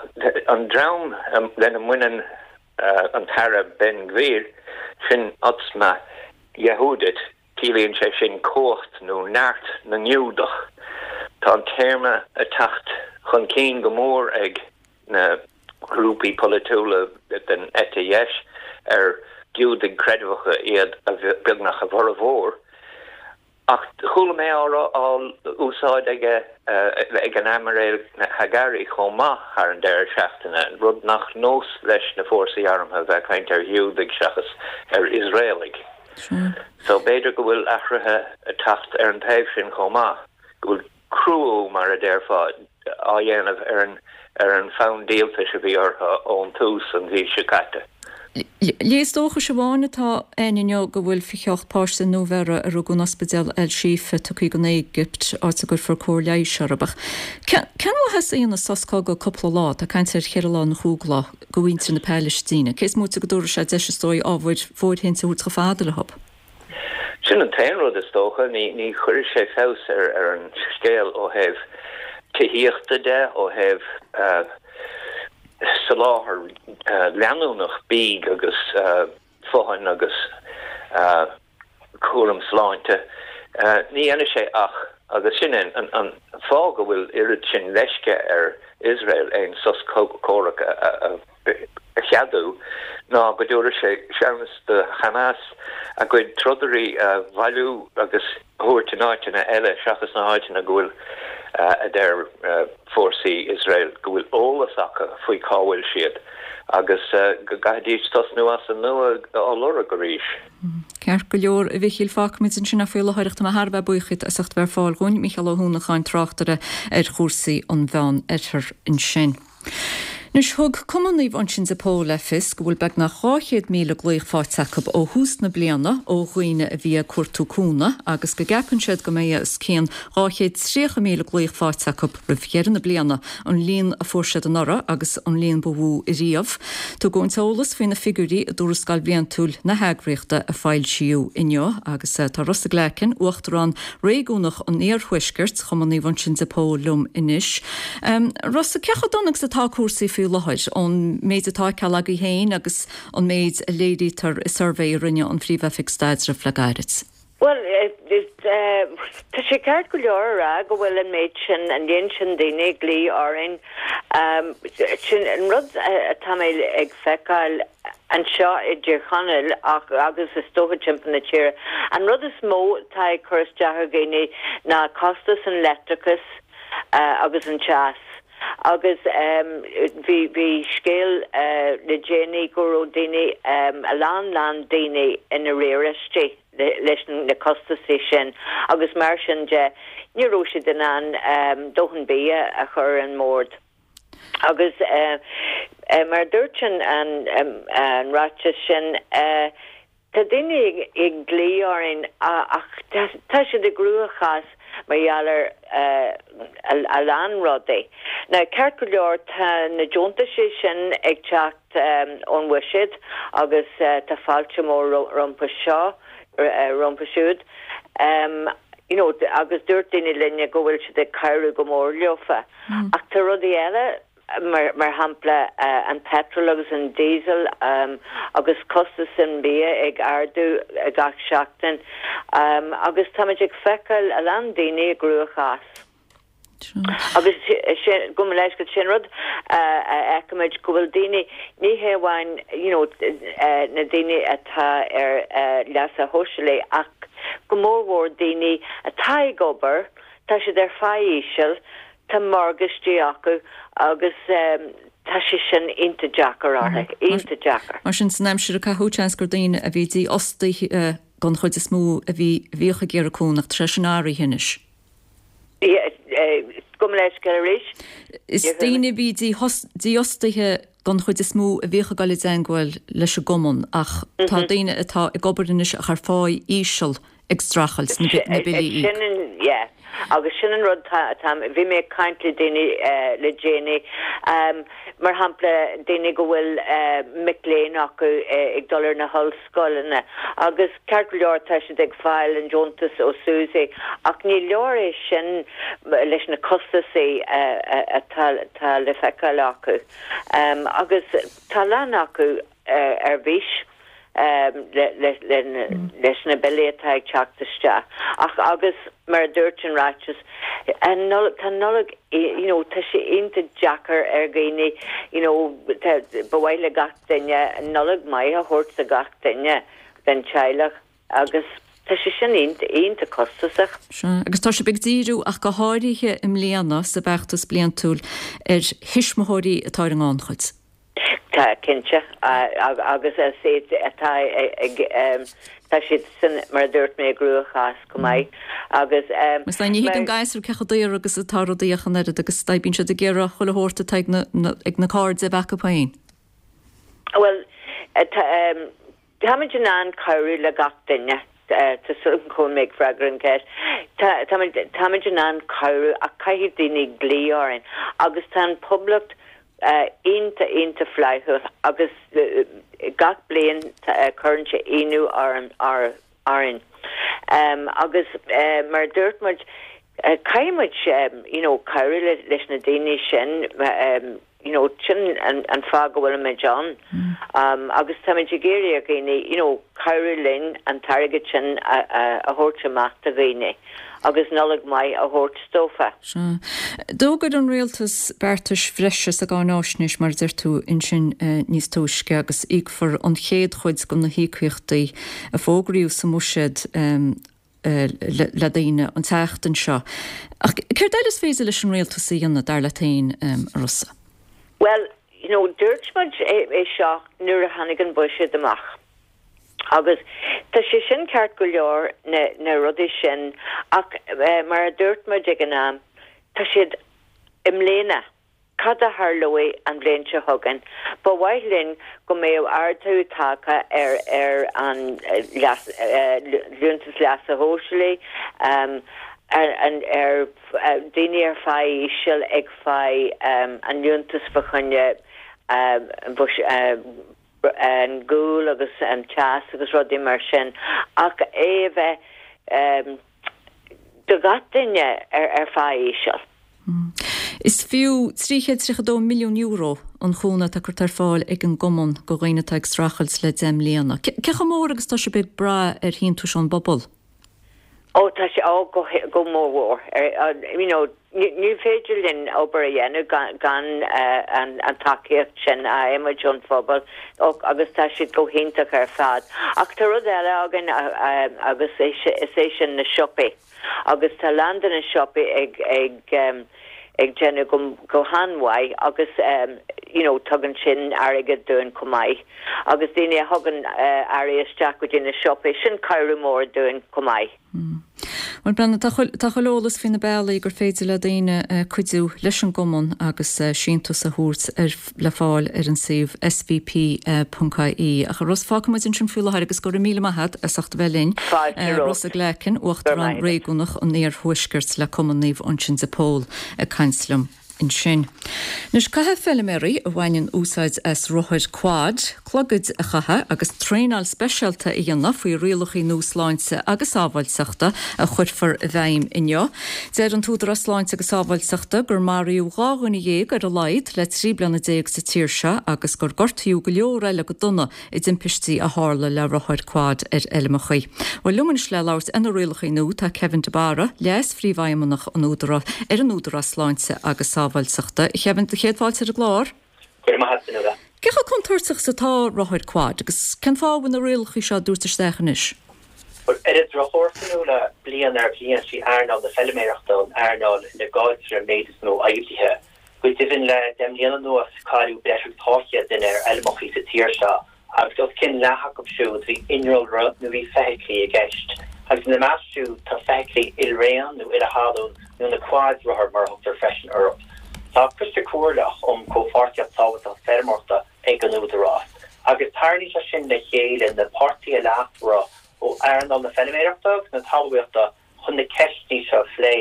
an dream lena mbaineann an tAire Ben Gvir, sin Otzma Yehudit, ciallaíonn sé sin cumhacht nó neart na nGiúdach. Tá an téarma ag teacht chun cinn go mór ag na grúpaí polaitiúla den eite dheis, ar Giúdaigh creidmheacha iad beagnach a bhformhór. Ach chuala mé á rá, á úsáid aige, ag an Aimiréal Hagari chomh maith thar an deireadh seachtaine, rud nach nós leis na fórsaí armtha a bheith ag caint ar Ghiúdaigh seachas ar Iosraelaigh. So b'fhéidir go bhfuil athruithe ag teacht ar an taobh sin chomh maith, go bhfuil cruú, mar a déarfá, á dhéanamh ar an ar an bhfonn díoltais a bhí orthu ón tús an mhí seo caite. Léas dóchais amháin atá ann inniu go bhfuil fiche ocht páiste nuabheirthe a rugadh in ospidéal El Shifa tugtha go Éigipt, áit a gcuirfear cóir leighis orthu. Ach cén mhaitheas a dhéanfas sos cogaidh cúpla lá, tá caint ar cheithre lá nó chúig lá, do mhuintir na Palaistíne, cé is móite go dtabharfaidh sé deis is dóigh ábhair fóirithinte a thabhairt chomh fada leo? Sin an t-aon rud is dócha. Ní chuirfidh sé feabhas ar an scéal ó thaobh tithíochta de, ó thaobh soláthar leanúnach bídh agus fothain agus cúram sláinte. Ní dhéanfaidh sé ach, agus sin é an fáth go bhfuil oiread sin leisce ar Iosrael aon sos comhraic a cheadú, ná go dtabharfaidh sé seans do Hamas a gcuid trodairí a bhailiú agus a thabhairt in áiteanna eile seachas na háiteanna go bhfuil, a deir fórsaí Iosrael, go bhfuil eolas acu faoi cá bhfuil siad agus go gcaithfidís tosnú as an nua á lorg arís. Ceart go leor, a Mhichíl, fágfaimid ansin é faoi láthair ach tá mé thar a bheith buíoch díot as ucht bheith ar fáil dhúinn, Mícheál Ó hUanacháin, tráchtaire ar chúrsaí an Mheán Oirthir ansin. Anois, thug Cumann Naomh Uinseann de Pól le fios go bhfuil beagnach dhá chéad míle glaoch faighte acu ó thús na bliana ó dhaoine a bhí ag cuartú cúnamh agus go gceapann siad go mbeidh os cionn dhá chéad tríocha míle glaoch faighte acu roimh dheireadh na bliana, an líon a fuair siad anuraidh agus an líon ba mhó ariamh. Tugadh an t-eolas faoi na figiúirí i dtuarascáil bhliantúil na heagraíochta a foilsíodh inniu agus tá Rossa Glackin, Uachtarán Réigiúnach an Iarthuaiscirt, Chumann Naomh Uinseann de Pól liom anois. Rossa, cé chomh dona agus atá cúrsaí faoi láthair, ón méid atá á fheiceáil agaibh féin agus an méid a léirítear i suirbhé a rinne an Phríomh-Oifig Staidrimh le gairid? Bhuel, tá sé ceart go leor a rá go bhfuil an méid sin, an líon sin daoine ag glaoch orainn. Sin an rud atá mé ag feiceáil anseo i dTír Chonaill ach agus is dócha timpeall na tíre. An rud is mó atá ag cur isteach ar dhaoine ná costas an leictreachais agus an teas. Agus bhí, bhí scéal le déanaí go raibh daoine, a lán lán daoine in arrearaistí leis na costasaí sin agus mar sin de ní raibh siad in ann dóthain bia a chur ar an mbord. Agus mar a dúirt an, an ráiteas sin, Tá daoine ag glaoch orainn ach tá siad i gcruachás mar gheall ar a lán rudaí. Now, ceart go leor, tá na deontaisí sin ag teacht ón bhuiséad agus tá fáilte mór rompu seo, rompu siúd. You know, agus dúirt daoine linne go bhfuil siad ag cabhrú go mór leofa. Ach tá rudaí eile mar shampla an petrol agus an diesel agus costas an bhia ag ardú gach seachtain agus táimid ag feiceáil a lán daoine i gcruachás. Agus sin, gabh mo leithscéal, sin rud a fheicimid go bhfuil daoine, ní hé amháin you know na daoine atá ar leasa shóisialaigh ach go mórmhór daoine atá ag obair, tá siad ar phá íseal, Tá morgáistí acu agus tá sé sin iontach deacair orthu, iontach deacair. Mar sin, san aimsir a caitheadh, seans gur daoine a bhí dífhostaithe den chuid is mó a bhí a bhíodh ag iarraidh cúnamh, ach tá sé sin athraithe anois. Gabh mo leithscéal arís. Is daoine a bhí dífhostaithe den chuid is mó a bhíodh ag dul i dteangmháil leis an gcumann ach tá daoine atá ag obair anois ach ar pháí íseal ag streachailt na billí a íoc. Sin an, yeah. Agus sin an rud tá, bhí mé ag caint le daoine le déanaí, mar shampla daoine go bhfuil mic léinn acu ag dul ar na hollscoileanna agus ceart go leor tá siad ag fáil an deontas ó SUSI ach ní leor é sin leis na costasaí atá le feiceáil acu. Agus tá a lán acu ar bís leis na billí atá ag teacht isteach. Ach agus mar a dúirt an ráiteas, tá Nollaig, you know, tá sé iontach deacair ar dhaoine, you know, ba mhaith le gach duine Nollaig maith a thabhairt do gach duine den teaghlach agus tá sé sin iontach costasach. Sea, agus tá sibh ag díriú ach go háirithe i mbliana sa bhfeachtas bliantúil ar thuismitheoirí atá ar an ngannchuid. Tá, cinnte, agus is iad atá ag, tá siad sin, mar a dúirt mé, i gcruachás go maith agus. Is ní thuigeann gasúir cé chomh daor agus atá rudaí ach an oiread agus bíonn siad ag iarraidh chuile shórt atá ag na, ag na cairde a bheith acu féin. Bhuel, táimid in ann cabhrú le gach duine. Tá súil agam go bhfuil mé ag freagra an cheist. Táimid, táimid in ann cabhrú ach caithfidh daoine glaoch orainn agus tá an poblacht iontach, iontach flaithiúil agus gach bliain cuireann sé ionadh orainn. Agus mar a dúirt muid, caithfidh muid you know cabhrú leis na daoine sin, you know sin an fáth go bhfuilimid ann. Agus táimid ag iarraidh ar dhaoine you know cabhrú linn an t-airgead sin a thabhairt amach do dhaoine. agus Nollaig mhaith a thabhairt dófa. Sea. D'fhógair an rialtas beartais bhreise sa gcáináisnéis, mar a deir tú ansin níos túisce, agus íocfar an chéad chuid de na híocaíochtaí a fógraíodh sa mbuiséad le daoine an tseachtain seo. Ach céard eile is féidir leis an rialtas a dhéanamh, dar leat féin, a Rossa? Bhuel, you know, dúirt muid é seo nuair a tháinig an buiséad amach. Agus tá sé sin ceart go leor, na, na rudaí sin, ach mar a dúirt muid ag an am, tá siad i mbliana. Cad a tharlóidh an bhliain seo chugainn? Ba mhaith linn go mbeadh ardú tagtha ar, ar an leas, liúntas leasa shóisialaigh, ar, ar daoine ar phá íseal ag fáil an liúntas fá choinne an gual agus an teas agus rudaí mar sin, ach é a bheith do gach duine ar phá íseal. Is fiú trí chéad tríocha dó milliún euro an chúnamh atá curtha ar fáil ag an gcumann do dhaoine atá ag streachailt le deich mbliana. Cé chomh mór agus atá sibh ag brath ar shíntiúis ón bpobal? Ó tá sé, ó go go mór mhór. You know, ní féidir linn obair a dhéanamh gan gan an an tacaíocht sin a fhaighimid ón phobal agus tá siad go hiontach ar fad. Ach tá rud eile againn agus is é sin na siopaí. Agus tá a lán de na siopaí ag ag ag déanamh go go han-mhaith agus you know tugann sin airgead dúinn chomh maith. Agus daoine a thugann earraí isteach go dtí na siopaí, sin cabhrú mór dúinn chomh maith. Bhuel Brendan, tá chuile eolas faoi na bealaí gur féidir le daoine cuidiú leis an gcumann agus síntiús a thabhairt ar le fáil ar an suíomh svp.ie. Ach a Ros, fágfaidh muid ansin faoi láthair agus go raibh míle maith agat as ucht a bheith linn. Rosa Glackin, Uachtarán Réigiúnach an Iarthuaiscirt le Cumann Naomh Uinseann de Pól ag caint liom. ansin. Anois, caithfidh feiliméaraí a bhaineann úsáid as rothair quad, clogaid a chaitheamh agus traenáil speisialta a dhéanamh faoi rialacha nua sláinte agus sábháilteachta a chuirfear i bhfeidhm inniu. Deir an tÚdarás Sláinte agus Sábháilteachta gur maraíodh dhá dhuine dhéag ar a laghad le trí bliana déag sa tír seo agus gur gortaíodh go leor eile go dona i dtimpistí a tharla le rothair quad ar fheilmeacha. Bhuel, liom anois le labhairt ar na rialacha nua tá Kevin de Barra, Leas-Phríomhfheidhmeannach an Údarás ar an Údarás Sláinte agus Sábháilteachta. A Kevin, céad fáilte ar an gclár. Go raibh maith agat, Fionnuala. Cé chomh contúirteach is atá rothair quad agus cén fáth a bhfuil na rialacha seo á dtabhairt isteach anois? Bhuel, ar an drochuair, Fionnuala, bliain ar bhliain, sí earnáil na feiliméarachta an earnáil ina gcailltear an méid is mó oibrithe. Go deimhin le deich mbliana anuas cailleadh breis agus dhá chéad duine ar fheilmeacha sa tír seo agus os cionn leath acu siúd bhí innealra nó bhí feithiclí i gceist. Agus ina measc siúd tá feithiclí ilraon nó uile-thalún nó na quads rothair mar a thugtar freisin orthu. Tá Coiste Comhairleach um Chomhpháirtíocht Sábháilteachta Feirmeoireachta ag an Údarás agus tarraingíonn sé sin le chéile na páirtithe leasmhara ó earnáil na feilméarachta agus na talmhaíochta chun na ceisteanna seo a phlé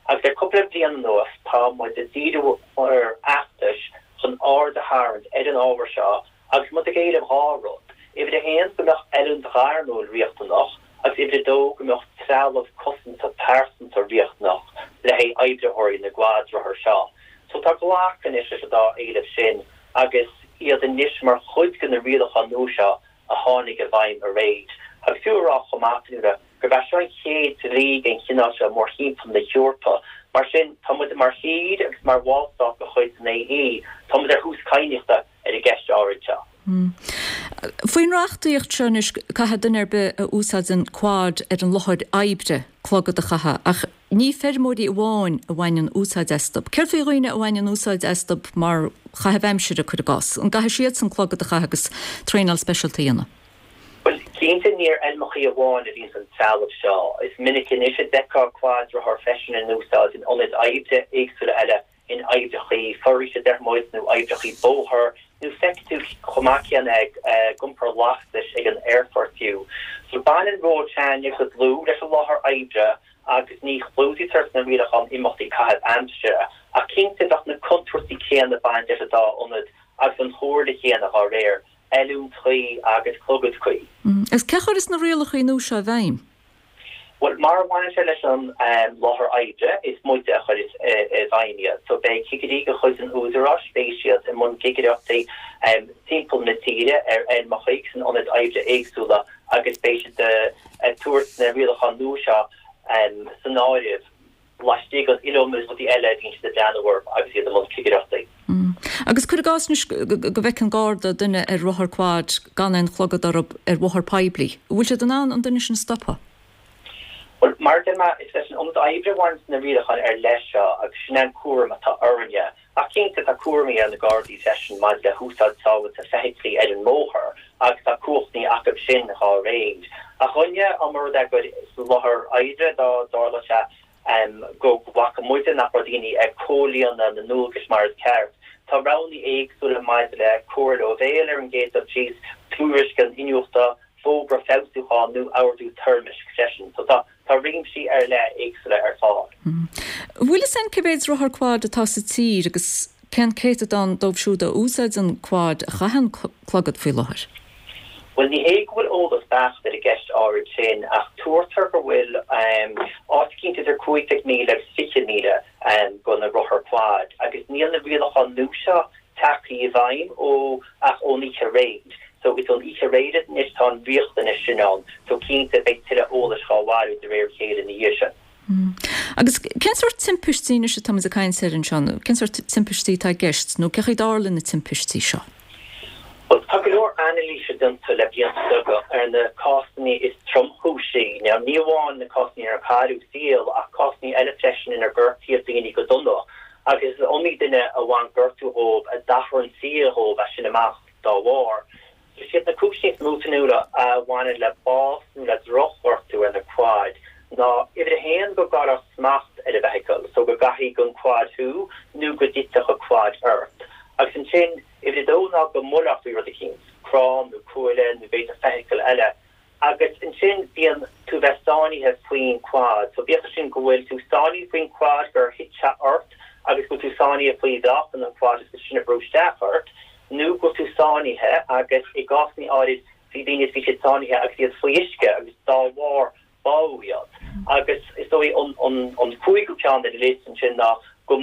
agus le cúpla bliain anuas tá muid ag díriú ar fheachtais chun aird a tharraingt ar an ábhar seo agus muid ag éileamh dhá rud, uimhir a haon go mbeadh oiliúint ghairmiúil riachtanach agus uimhir a dó go mbeadh trealamh cosanta pearsanta riachtanach le haghaidh oibritheoirí na gcuadrothar seo. So tá glactha anois leis an dá éileamh sin agus iad anois mar chuid de na rialacháin nua seo a tháinig i bhfeidhm aréir. Agus fiú a rá chomh maith, Fionnuala, gurb é seo an chéad dlí den chineál seo mórthimpeall na hEorpa. Mar sin, tá muid mar thír agus mar bhallstát de chuid an AE, tá muid ar thús cadhnaíochta ar an gceist áirid seo. Faoin reachtaíocht seo anois, caithfidh duine ar bith a úsáideann quad ar an láthair oibre clogad a chaitheamh, ach ní feirmeoirí amháin a bhaineann úsáid astu. Céard faoi dhaoine a bhaineann úsáid astu mar chaitheamh aimsire, cuir i gcás? An gcaithfidh siadsan clogad a chaitheamh agus traenáil speisialta a dhéanamh? Bhuel, cinnte ní ar fheilmeacha amháin a bhíonns an trealamh seo. Is minic anois a d'fheicfeá quadrothar freisin in úsáid in ionaid oibre éagsúla eile, in oibreachaí foraoise a deir muid, nó oibreachaí bóthair, nó feicfidh tú chomh maith céanna ag iompar lastais ag an aerfort fiú. So baineann ról s'againne go dlúth leis an láthair oibre agus ní chlúdaítear sna rialacháin imeachtaí caitheamh aimsire, ach cinnte bheadh na contúirtí céanna ag baint leis an dá ionad agus an chomhairle chéanna dhá réir, oiliúint chuí agus clogad cuí. Agus cé a chuireas na rialacha nua seo i bhfeidhm? Bhuel, mar a bhaineann sé leis an láthair oibre, is muide a chuireas i bhfeidhm iad. So beidh cigirí de chuid an Údaráis, beidh siad i mbun cigireachtaí timpeall na tíre ar fheilmeacha agus in ionaid oibre éagsúla agus beidh siad ag tabhairt na rialacháin nua seo san áireamh laistigh den iliomad rudaí eile a bhíonn siad ag breathnú orthu agus iad i mbun cigireachtaí. Agus cuir i gcás anois go bhfeiceann Garda duine ar rothar quad gan aon chlogad orthu ar bhóthar poiblí, an bhfuil siad in ann an duine sin a stopadh? Bhuel, mar a deir mé, is leis an ionad oibre a bhaineann na rialacháin ar leith seo agus sin é an cúram atá orainne. Ach cinnte, tá cúraimí ar na Gardaí freisin maidir le húsáid sábháilte feithiclí ar an mbóthar agus tá cumhachtaí acu sin dhá réir. Ach dhuine, dá mba rud é gur sa láthair oibre dá dtarlódh sé go bhfaca muide nach raibh daoine ag comhlíonadh na ndualgas mar is ceart, tá roghanna éagsúla maidir le comhairle ó bhéal ar an gcéad dul síos, tuairisc an iniúchta, fógra feabhsúcháin nó ordú toirmisc freisin. So tá tá réimsí ar leith éagsúla ar fáil. Bhfuil fhios a'inn cé mhéad rothar quad atá sa tír agus cén céatadán dóibh siúd a úsáideann quad a chaitheann clogad faoi láthair? Bhuel, ní hé go bhfuil eolas beacht ar an gceist áirid sin, ach tuartar go bhfuil áit eicínt idir cúig déag míle agus fiche míle de na rothair quad, agus níl na rialacháin nua seo tagtha i bhfeidhm ó ach ón oíche aréir. So is ón oíche aréir anois tá an riachtanas sin ann, so cinnte beidh tuilleadh eolais dhá bhailiú de réir a chéile ina dhiaidh sin. Agus cén sórt timpistí anois atá muid ag caint air anseo, nó cén sórt timpistí atá i gceist, nó cé chaoi a dtarlaíonn na timpistí seo? Bhuel, tá go leor anailíse déanta le blianta beaga ar na cásanna is tromchúisí. Now, ní amháin na cásanna inar cailleadh saol ach cásanna eile freisin inar gortaíodh daoine go dona. Agus is iomaí duine a bhain gortú dhóibh a d'athraigh an saol dhóibh as sin amach dá bharr. Is iad na cúiseanna is mó, Fionnuala, a bhaineann le bás nó le drochghortú ar na quaid ná, uimhir a haon, go gcaillfeá smacht ar an bhfeithicil, so go gcaithfí den quad thú nó go dtitfeadh an quad ort. Agus ansin, uimhir a dó ná go mbuailfeá faoi rud eicínt, crann nó cuaille nó b'fhéidir feithicil eile. Agus ansin bíonn tú bheith sáinnithe faoin quad. So bíodh sin go bhfuil tú sáinnithe faoin quad gur thit sé ort agus go bhfuil tú sáinnithe faoi mheáchan an quad agus sin ag brú isteach ort, nó go bhfuil tú sáinnithe agus i gcásanna áirid bhí daoine bhí siad sáinnithe agus iad faoi uisce agus dá bharr bádh iad. Agus is dóigh an an an cúigiú ceann ar an liosta ansin ná go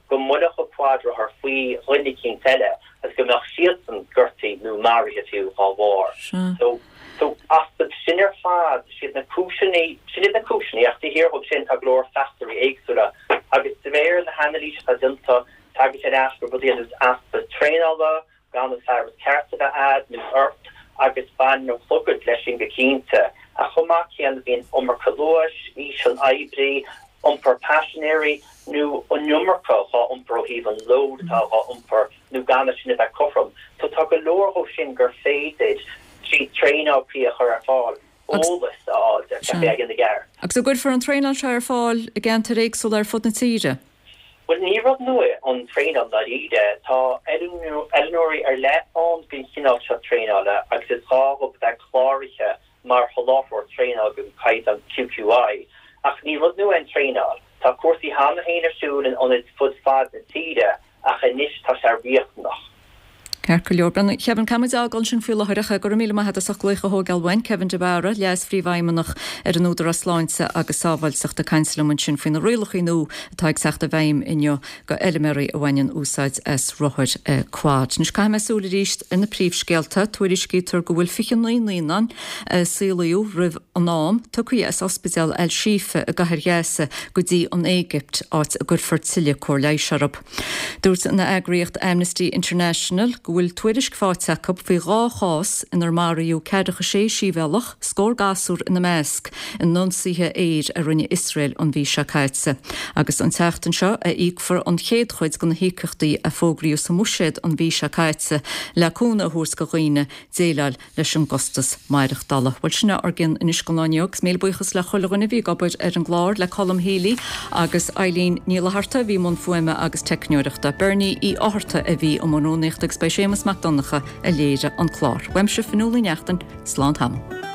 go mbuailfeadh an quadrothar faoi dhuine eicínt eile agus go mbeadh siadsan gortaithe nó maraithe fiú dá bharr. So so astu sin ar fad, siad na cúiseanna, sin iad na cúiseanna, ach taobh thiar dhóibh sin tá go leor fachtóirí éagsúla agus de réir na hanailíse atá déanta tagann sé ar ais go rudaí ar nós easpa traenála, gan an fearas ceart a bheith a'd nó ort agus baineann an clogad leis sin go cinnte. Ach chomh maith céanna bíonn iomarca luais, aois an oibrí, iompar paisinéirí nó an iomarca á iompar ó thaobh an load atá á iompar nó gan é sin a bheith cothrom. So tá go leor dhó sin gur féidir trí traenáil cuí a chur ar fáil eolas a fháil ar cad é a dhéanamh i gceart. Agus an gcuirfear an traenáil seo ar fáil i gceantair éagsúla ar fud na tíre? Bhuel ní rud nua é an traenáil ndáiríre. Tá oiliúnóirí ar leith ann don chineál seo traenála agus is gá dhóibh a bheith cláraithe mar sholáthróir traenála den chaighdeán QQI. Ach ní rud nua é an traenáil. Tá cúrsaí cheana féin ar siúl in ionaid fud fad na tíre ach anois tá sé riachtanach. Ceart go leor. Bhuel, Kevin, caithfidh muid a fhágáil ansin faoi láthair ach go raibh míle maith agat as ucht glaoch a thógáil uainn. Kevin de Barra, Leas-Phríomhfheidhmeannach ar an Údarás Sláinte agus Sábháilteachta ag caint liom ansin faoi na rialacha nua atá ag teacht i bhfeidhm inniu go fheilméaraí a bhaineann úsáid as rothair quad. Anois caithfidh mé súil arís ar na príomhscéalta. Tuairiscítear go bhfuil fiche naoi naíonán a saolaíodh roimh an am tugtha as Ospidéal Al Shifa i gCathair Ghaza go dtí an Éigipt, áit a gcuirfear tuilleadh cóir leighis orthu. Dúirt an eagraíocht Amnesty International go bhfuil tuairisc faighte acu faoi dhá chás inar maraíodh ceathracha sé sibhialtach, scór gasúr ina measc, in ionsaithe aeir a rinne Iosrael an mhí seo caite. Agus an tseachtain seo a íocfar an chéad chuid de na híocaíochtaí a fógraíodh sa mBuiséad an mhí seo caite le cúnamh a thabhairt do dhaoine déileáil leis an gcostas maireachtála. Bhuel sin é ár gcionn anois don lá inniu agus míle buíochas le chuile dhuine a bhí ag obair ar an gclár, le Colm Healy agus Eileen Ní Fhlatharta a bhí i mbun fuaime agus teicneoireachta, Bernie Uí Fhátharta a bhí i mbun rúnaíochta agus b'é Séamus Mac Donncha a léirigh an clár. Uaimse Fionnuala Ní Neachtain, slán tamall.